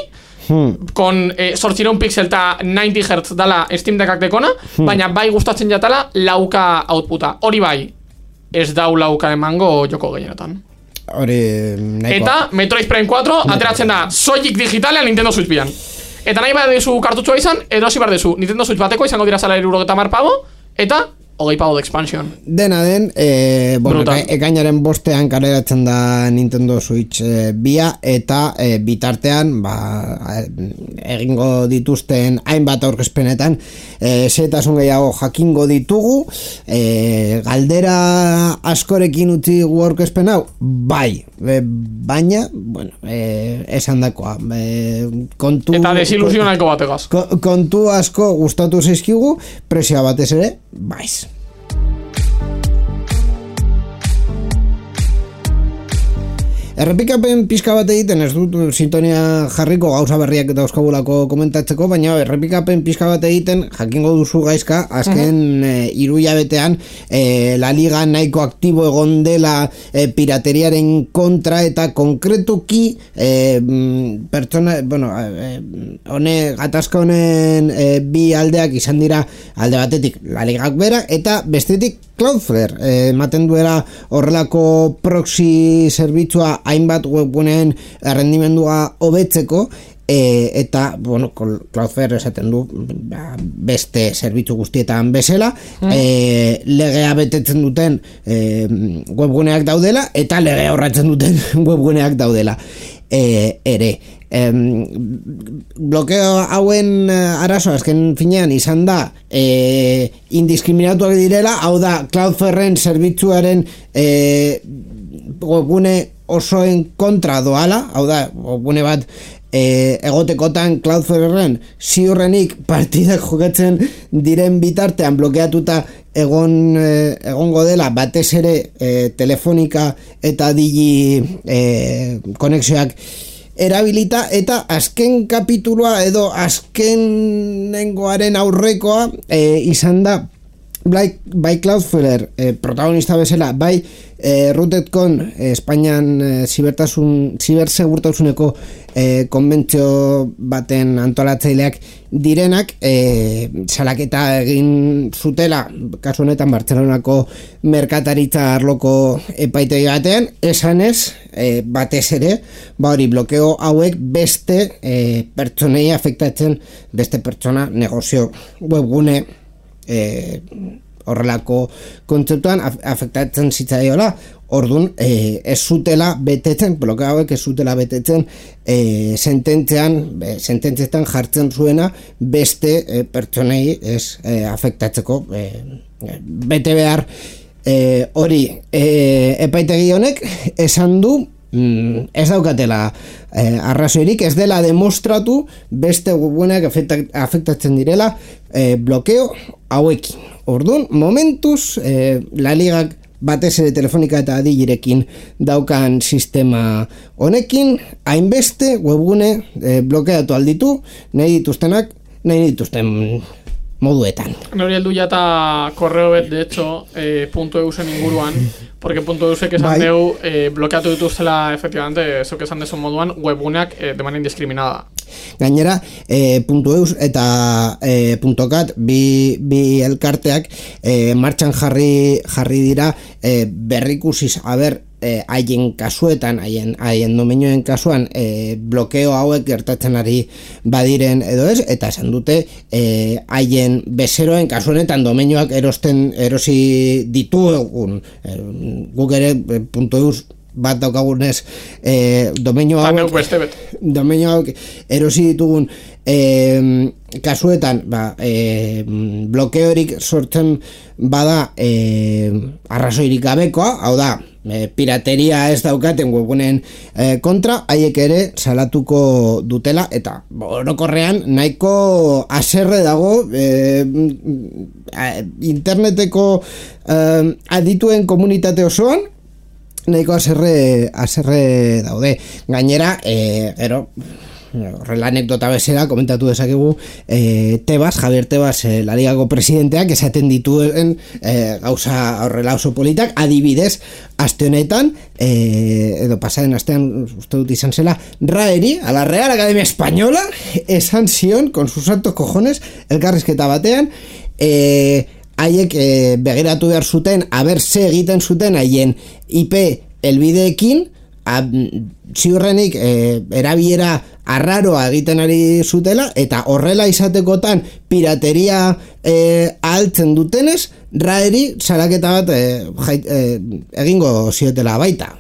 con 800 pixel eta 90 Hz dala Steam Deckak dekona, baina bai gustatzen jatala lauka outputa. Hori bai, ez dau lauka emango joko gehienetan. Hori nahiko. Eta Metroid Prime 4 ateratzen da soilik digitalean Nintendo Switch bian. Eta nahi bat dezu kartutxoa izan, erosi bar dezu Nintendo Switch bateko izango dira zala 70 pago, eta 20 pago de expansion. Dena den, ekainaren 5 kaleratzen da Nintendo Switch bia, eta bitartean egingo dituzten hainbat aurkezpenetan zetasun gehiago jakingo ditugu. Galdera askorekin utzi gu aurkezpen hau, bai, baina esan dakoa kontu, eta desilusionako bategaz kontu asko gustatu zaizkigu, presioa batez ere baiz. Errepikapen pizka bat egiten, ez dut sintonia jarriko gauza berriak dauzkagulako komentatzeko, baina errepikapen pizka bat egiten jakingo duzu gaizka, azken 3 hilabetean La Liga nahiko aktibo egon dela pirateriaren kontra, eta konkretuki pertsona, gatazka honen bi aldeak izan dira, alde batetik La Ligak bera, eta bestetik Cloudflare, ematen duela horrelako proxy zerbitzua hainbat webguneen errendimendua hobetzeko, eta Cloudflare esaten du beste zerbitzu guztietan bezala, legea betetzen duten webguneak daudela, eta legea horratzen duten webguneak daudela ere. Blokeo hauen arazo azken finean izan da indiskriminatuak direla, hau da Cloudflaren zerbitzuaren webgune osoen kontra doala, hau da webgune bat egotekotan Cloudflaren ziurrenik partidak jokatzen diren bitartean blokeatuta egongo dela, batez ere telefonika eta digi konexioak erabilita, eta azken kapituloa edo azkenengoaren aurrekoa izan da bai Cloudflare protagonista bezala, bai RootedCon Espainian zibersegurtasuneko konbentzio baten antolatzaileak direnak salaketa egin zutela, kasu honetan Bartzelonako merkataritza arloko epaitegi batean, esanez batez ere hori blokeo hauek beste pertsonei afektatzen, beste pertsona, negozio, webgune horrelako kontzeptuan afektatzen zitzaiola. Orduan, ez zutela betetzen, blokeo hauek ez zutela betetzen sententzietan jartzen zuena beste pertsonei ez afektatzeko bete behar hori epaitegi honek esan du ez daukatela arrazoirik, ez dela demostratu beste webguneak afektatzen direla blokeo hauekin. Orduan, momentuz La Ligak batez ere Telefonika eta Adilerekin daukan sistema honekin, hainbeste webgune blokeatu alditu, nahi dituzten moduetan. Nori heldu jata korreo bet, de hecho, .eusen inguruan, porque .eusek esan deu blokeatu dituztela, efectivamente, zuk esan dezu moduan, webguneak de manera indiscriminada. Gainera, .eus eta .cat bi elkarteak martxan jarri dira berrikusiz, haien kasuetan, haien domenioen kasuan blokeo hauek gertatzen ari badiren edo ez, eta esan dute haien bezeroen kasuenetan domenioak erosi ditugun guk ere .eus bat daukagunez domenio hauek erosi ditugun kasuetan blokeorik sortzen bada arrazoirik gabekoa, hau da pirateria ez daukaten webgunen kontra, haiek ere salatuko dutela, eta orokorrean nahiko haserre dago interneteko adituen komunitate osoan, nahiko haserre daude. Gainera, horrela anekdota bezala komentatu dezakegu Javier Tebas, La Ligako presidenteak esaten dituen gauza horrela oso politak, adibidez aste honetan edo pasaren astean uste dut izan zela, Raeri, a la Real Academia Española, esan zion con sus santos cojones elkarrizketa batean haiek begiratu behar zuten ze egiten zuten haien IP helbideekin, ziurrenik erabilera arraroa egiten ari zutela, eta horrela izatekotan pirateria ahaltzen dutenez, Raeri salaketa bat egingo ziotela baita.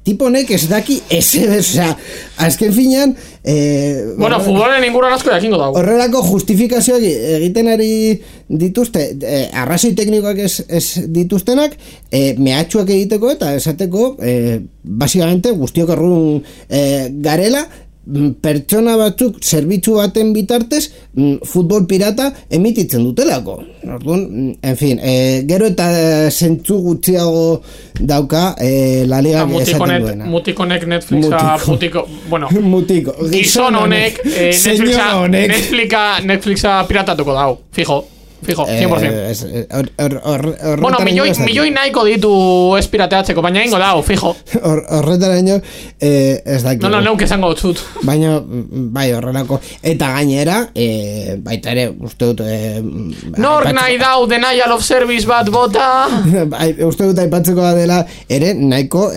Tiponek ez daki azken finean futbolen inguruan asko jakingo dago. Horrelako justifikazioak egiten ari dituzte, arrazoi teknikoak ez dituztenak, mehatxuak egiteko eta esateko basikamente guztiok errun garela, pertsona batzuk zerbitzu baten bitartez futbol pirata emititzen dutelako. Orduan, en fin, gero eta zentzu gutxiago dauka La Liga esaten duena. Mutikonek gizon honek Netflixa piratatuko dau, fijo, 100%. Milioi nahiko ditu ez pirateatzeko, baina ingo dau, fijo. Horretaraino ez dakit. Neuk esango dut. Baina, bai, horrelako. Eta gainera, baita ere, uste dut... Nor nahi dau denial of service bat bota? Uste dut aipatzeko dela, ere, nahiko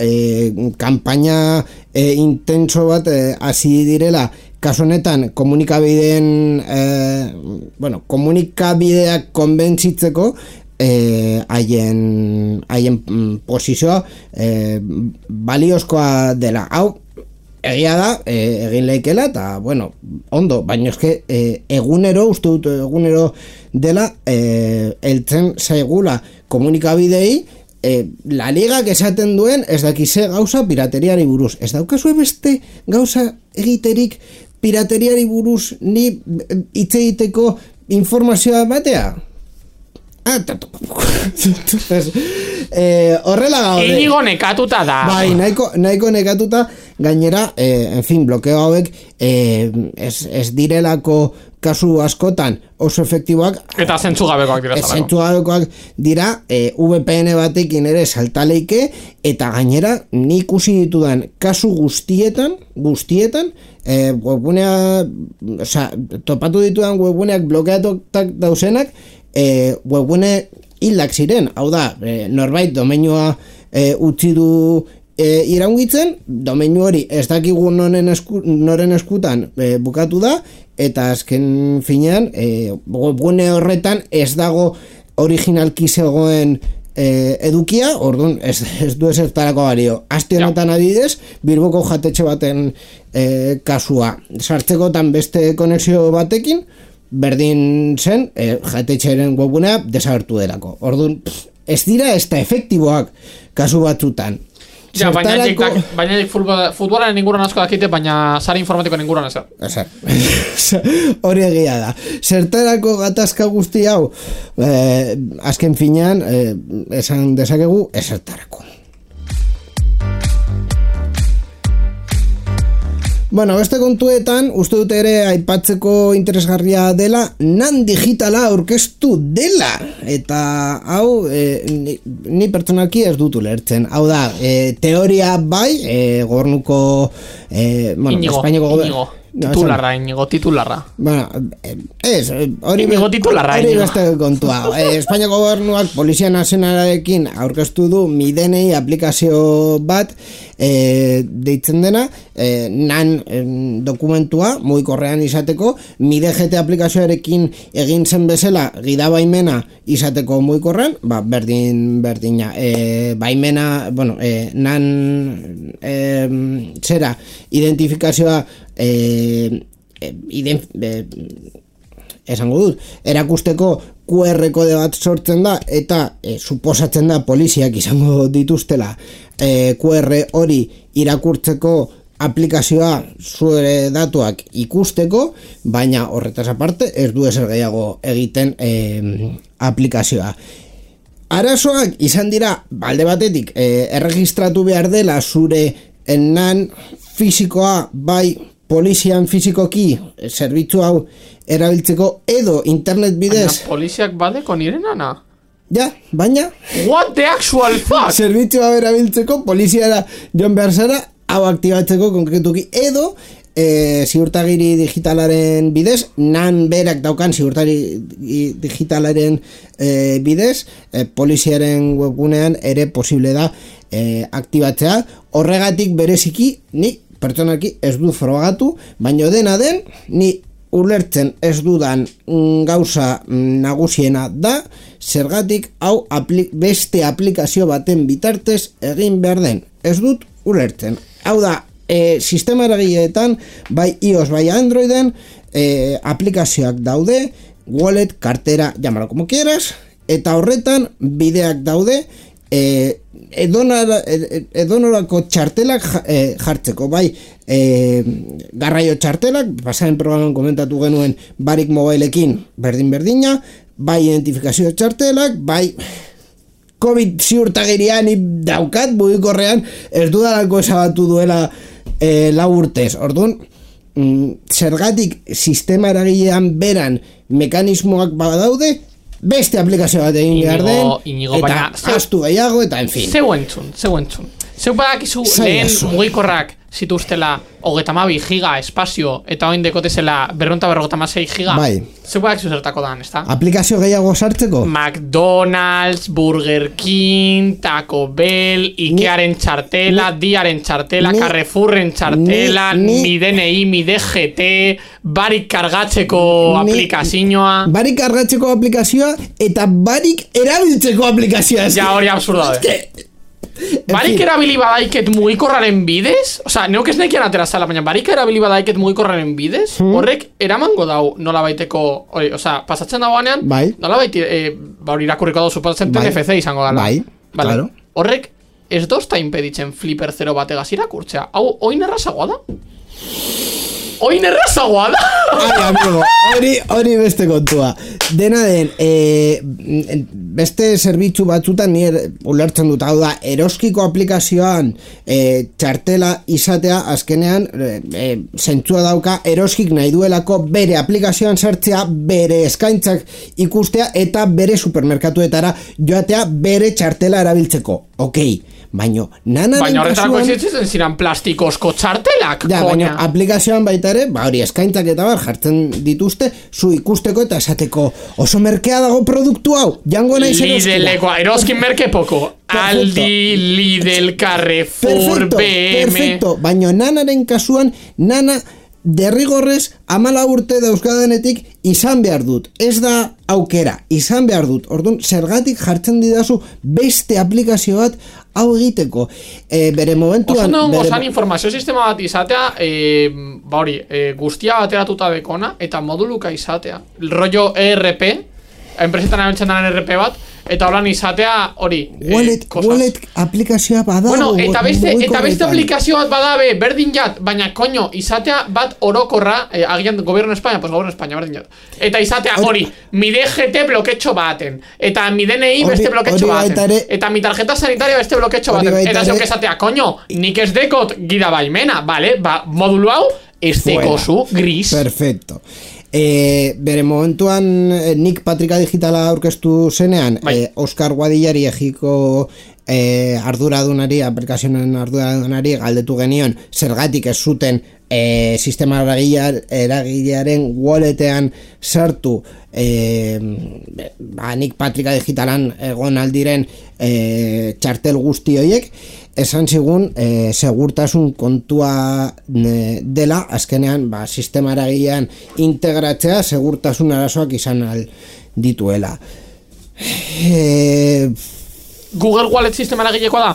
kanpaina intenso bat hasi direla, kasu honetan komunikabideak konbentzitzeko haien posizioa baliozkoa dela. Hau egia da, egin leikela, eta ondo, baina eske uste dut egunero dela heltzen zaigula komunikabidei La Ligak esaten duen ez dakize gauza pirateriari buruz. Ez daukazue beste gauza egiterik pirateriari buruz ni hitz egiteko informazioa batea? Horrela gaude. Inigo nekatuta da. Bai, nahiko nekatuta. Gainera, en fin, blokeo hauek ez direlako kasu askotan oso efektiboak, eta zentzugabekoak dira, VPN batekin ere saltaleike, eta gainera nik ikusi ditudan kasu guztietan webgunea, topatu ditudan webguneak blokeatuak dauzenak webgune hildak ziren. Hau da, norbait domeinua utzi du iraungitzen, domeinu hori ez dakigu noren eskutan bukatu da, eta azken finean, webgune horretan ez dago originalki zegoen edukia, orduan ez du ezertarako balio. Aste honetan adibidez, Bilboko jatetxe baten kasua sartzekotan beste konexio batekin, berdin zen, jatetxearen webgunea desagertu delako. Orduan, ez dira ez da efektiboak kasu batzutan. Ja, baina futbolaren inguruan asko dakite, baina sare informatikoan inguruan ezer. Hori egia da. Zertarako gatazka guzti hau, azken finean, esan dezakegu, ezertarako. Bueno, beste kontuetan, uste dut ere aipatzeko interesgarria dela, NAN digitala aurkeztu dela. Eta hau, ni pertsonalki ez dut ulertzen. Hau da, teoria bai, gobernuko, Espainiako gobernu. Titularra. Bueno, hori beste kontua. Espainiako gobernuak Polizia Nazionalarekin aurkeztu du MiDNI aplikazio bat deitzen dena, NAN dokumentua mugikorrean izateko, MiDGT aplikazioarekin egin zen bezala gidabaimena izateko mugikorrean, berdina, baimena, NAN zera, identifikazioa esango dut, erakusteko QR kode bat sortzen da eta suposatzen da poliziak izango dituztela QR hori irakurtzeko aplikazioa zure datuak ikusteko, baina horretaz aparte ez du ezer gehiago egiten aplikazioa. Arazoak izan dira, alde batetik, erregistratu behar dela zure NAN fisikoa bai polizian fisikoki zerbitzu hau erabiltzeko edo internet bidez. Poliziak badeko nire nana? Ja, baina what the actual fuck? Zerbitzu hau erabiltzeko poliziara joan behar zara hau aktibatzeko konkretuki edo ziurtagiri digitalaren bidez, NAN berak daukan ziurtagiri digitalaren bidez, poliziaren webgunean ere posible da aktibatzea. Horregatik bereziki ni pertsonalki ez du frogatu, baina dena den, ni ulertzen ez dudan gauza nagusiena da, zergatik hau beste aplikazio baten bitartez egin behar den. Ez dut ulertzen. Hau da, sistema eragileetan, bai iOS, bai Androiden, aplikazioak daude, wallet, kartera, llámalo como quieras, eta horretan bideak daude, edonorako txartelak jartzeko, bai garraio txartelak, pasaren programan komentatu genuen Barik Mobileekin berdina, bai identifikazio txartelak, bai COVID ziurtagirian daukat mugikorrean ez dudalako esabatu duela 4 urtez. Orduan, zergatik sistema eragilean beran mekanismoak badaude, beste aplikazio bat egin behar den, eta astu gehiago, eta en fin. Zeu entzun. Zeu badakizu lehen mugikorrak zituztela 32 giga espazio, eta oin dekotezela 256 giga. Bai. Zeu badakizu zertako dan, ezta? Aplikazio gehiago sartzeko? McDonald's, Burger King, Taco Bell, Ikearen txartela, Diaren txartela, Carrefourren txartela, MiDNI, MiDGT, Barik kargatzeko aplikazioa. Barik kargatzeko aplikazioa eta barik erabiltzeko aplikazioa. Ja, hori absurda da. Barik erabili badaiket mugikorraren bidez, oza, neuk ez nekian atera zala, baina barik erabili badaiket mugikorraren bidez, horrek eramango dau nola baiteko, oza, pasatzen dagoanean, nola baiti, hori irakurriko dau, suposatzen TNFC izango dala. Bai, claro. Horrek ez dozta impeditzen Flipper 0 bategaz irakurtzea, hau, oin errazagoa da? Oin errazagoa da? Ai, amigo, hori beste kontua. Dena den, beste zerbitzu batzutan nire ulertzen dut, hau da, eroskiko aplikazioan txartela izatea azkenean zentzua dauka eroskik nahi duelako bere aplikazioan sartzea, bere eskaintzak ikustea eta bere supermerkatuetara joatea bere txartela erabiltzeko. Okei, baino nanaren baina horretarako existitzen ziren plastikozko txartelak, ja, baina aplikazioan baita ere, hori eskaintzak eta jartzen dituzte, zu ikusteko eta esateko oso merkea dago produktu hau, jango nahi zen Lidlekoa, eroskin merke poko. Aldi, Lidl, Carrefour, BM. Perfecto, baina nanaren kasuan, nana derrigorrez 14 urte dauzkadenetik izan behar dut. Ez da aukera, izan behar dut. Orduan, zergatik jartzen didazu beste aplikazio bat hau egiteko. Bere momentuan... Osan informazio sistema bat izatea, guztia bateratuta dekona, eta moduluka izatea. Rollo ERP, enpresetan abentzen daren ERP bat, eta holan izatea hori wallet aplikazioa bada bueno, eta beste aplikazio bat badabe berdin jat, baina koño izatea bat orokorra, agian gobierno España, pues gobierno España berdin jat, eta izatea hori, mi DGT bloketxo baten, eta mi DNI beste bloketxo baten, eta mi tarjeta sanitaria beste bloketxo baten, eta zeok izatea, koño, nik ez dekot gida baimena, vale, modulu hau ez dekozu gris. Perfecto. Bere momentuan nik Patrika Digitala aurkeztu zenean, Oskar Guadillari Egiko arduradunari, aplikazioen arduradunari galdetu genion zergatik ez zuten sistema eragilearen walletean sartu nik Patrika Digitalan egon aldiren txartel guzti horiek, esan zigun segurtasun kontua dela, azkenean sistema eragilean integratzea segurtasun arazoak izan dituela. Google Wallet sistema eragilekoa da?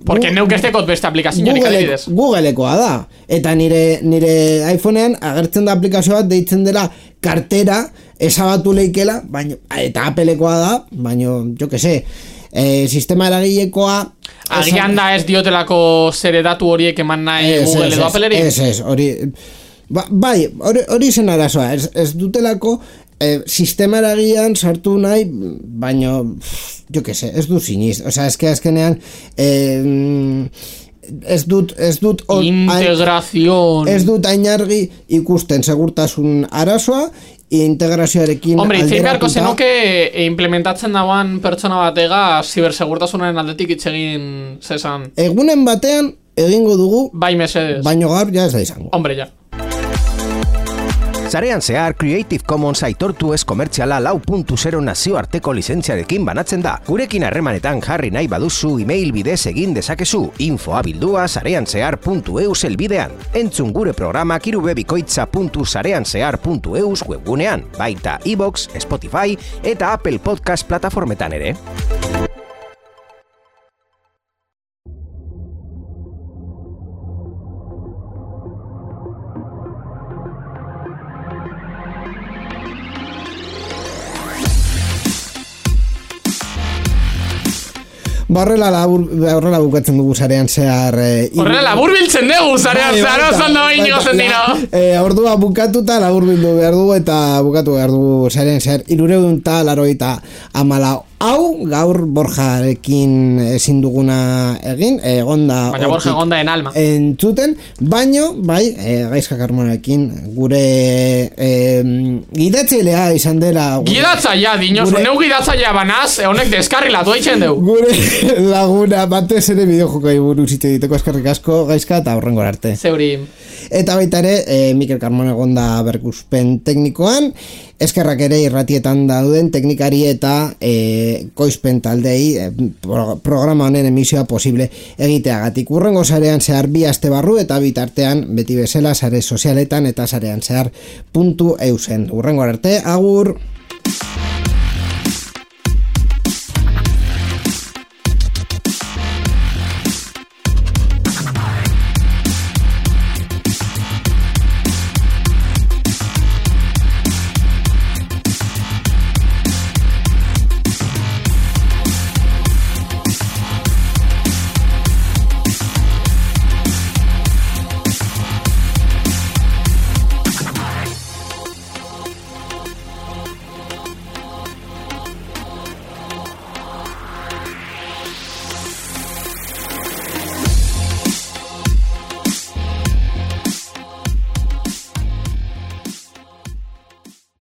Porque neuk ez dekot beste aplikazioarik adibidez. Googlekoa da. Eta nire iPhonean agertzen da aplikazio bat deitzen dela kartera, ezabatu leikela, eta Applekoa da, baina, jo que se, sistema eragilekoa agian da ez diotelako zere datu horiek eman nahi Google edo Appleri? Ez, hori hori zen arazoa, ez dutelako sistema eragilean sartu nahi, baina jo que se, ez du siniz, azkenean ez dut integrazion ez dut ainargi ikusten segurtasun arazoa integrazioarekin hombre, itzein beharko zenuke implementatzen dagoan pertsona batega zibersegurtasunaren aldetik itzegin zezan. Egunen batean egingo dugu, bai mesedes, baino gaur ja ez da izango. Hombre, ja. Sarean zehar Creative Commons aitortu ez komertziala 4.0 nazioarteko lizentziarekin banatzen da. Gurekin harremanetan jarri nahi baduzu email bidez egin dezakezu info@sareanzehar.eus elbidean. Entzun gure programak irubebikoitza.sareanzehar.eus webgunean, baita iVoox, Spotify eta Apple Podcast plataformetan ere. Horrela bukatzen dugu Sarean Zehar horrela labur biltzen dugu Sarean Zehar osan da baino zen dira ordua bukatuta labur bildu behar dugu eta bukatu behar dugu Sarean Zehar 384 hau gaur Borjarekin ezin duguna egin egonda baina Borja egonda en alma entzuten, baino bai Gaizka Carmonekin gure gidatzailea izan dela gidatzailea dinosu, neu gidatzailea banaz honek deskarrilatu eitzen dugu gure laguna batez ere bideojokai buruz hitz egiteko eskerrik asko Gaizka eta hurrengor arte zeuri eta baita ere Mikel Carmona egonda berkuspen teknikoan eskerrak ere irratietan dauden teknikari eta koizpen taldei programa honen emisioa posible egiteagatik. Hurrengo Sarean Zehar 2 aste barru eta bitartean beti bezala sare sozialetan eta sareanzehar.eusen. Hurrengo arte, agur!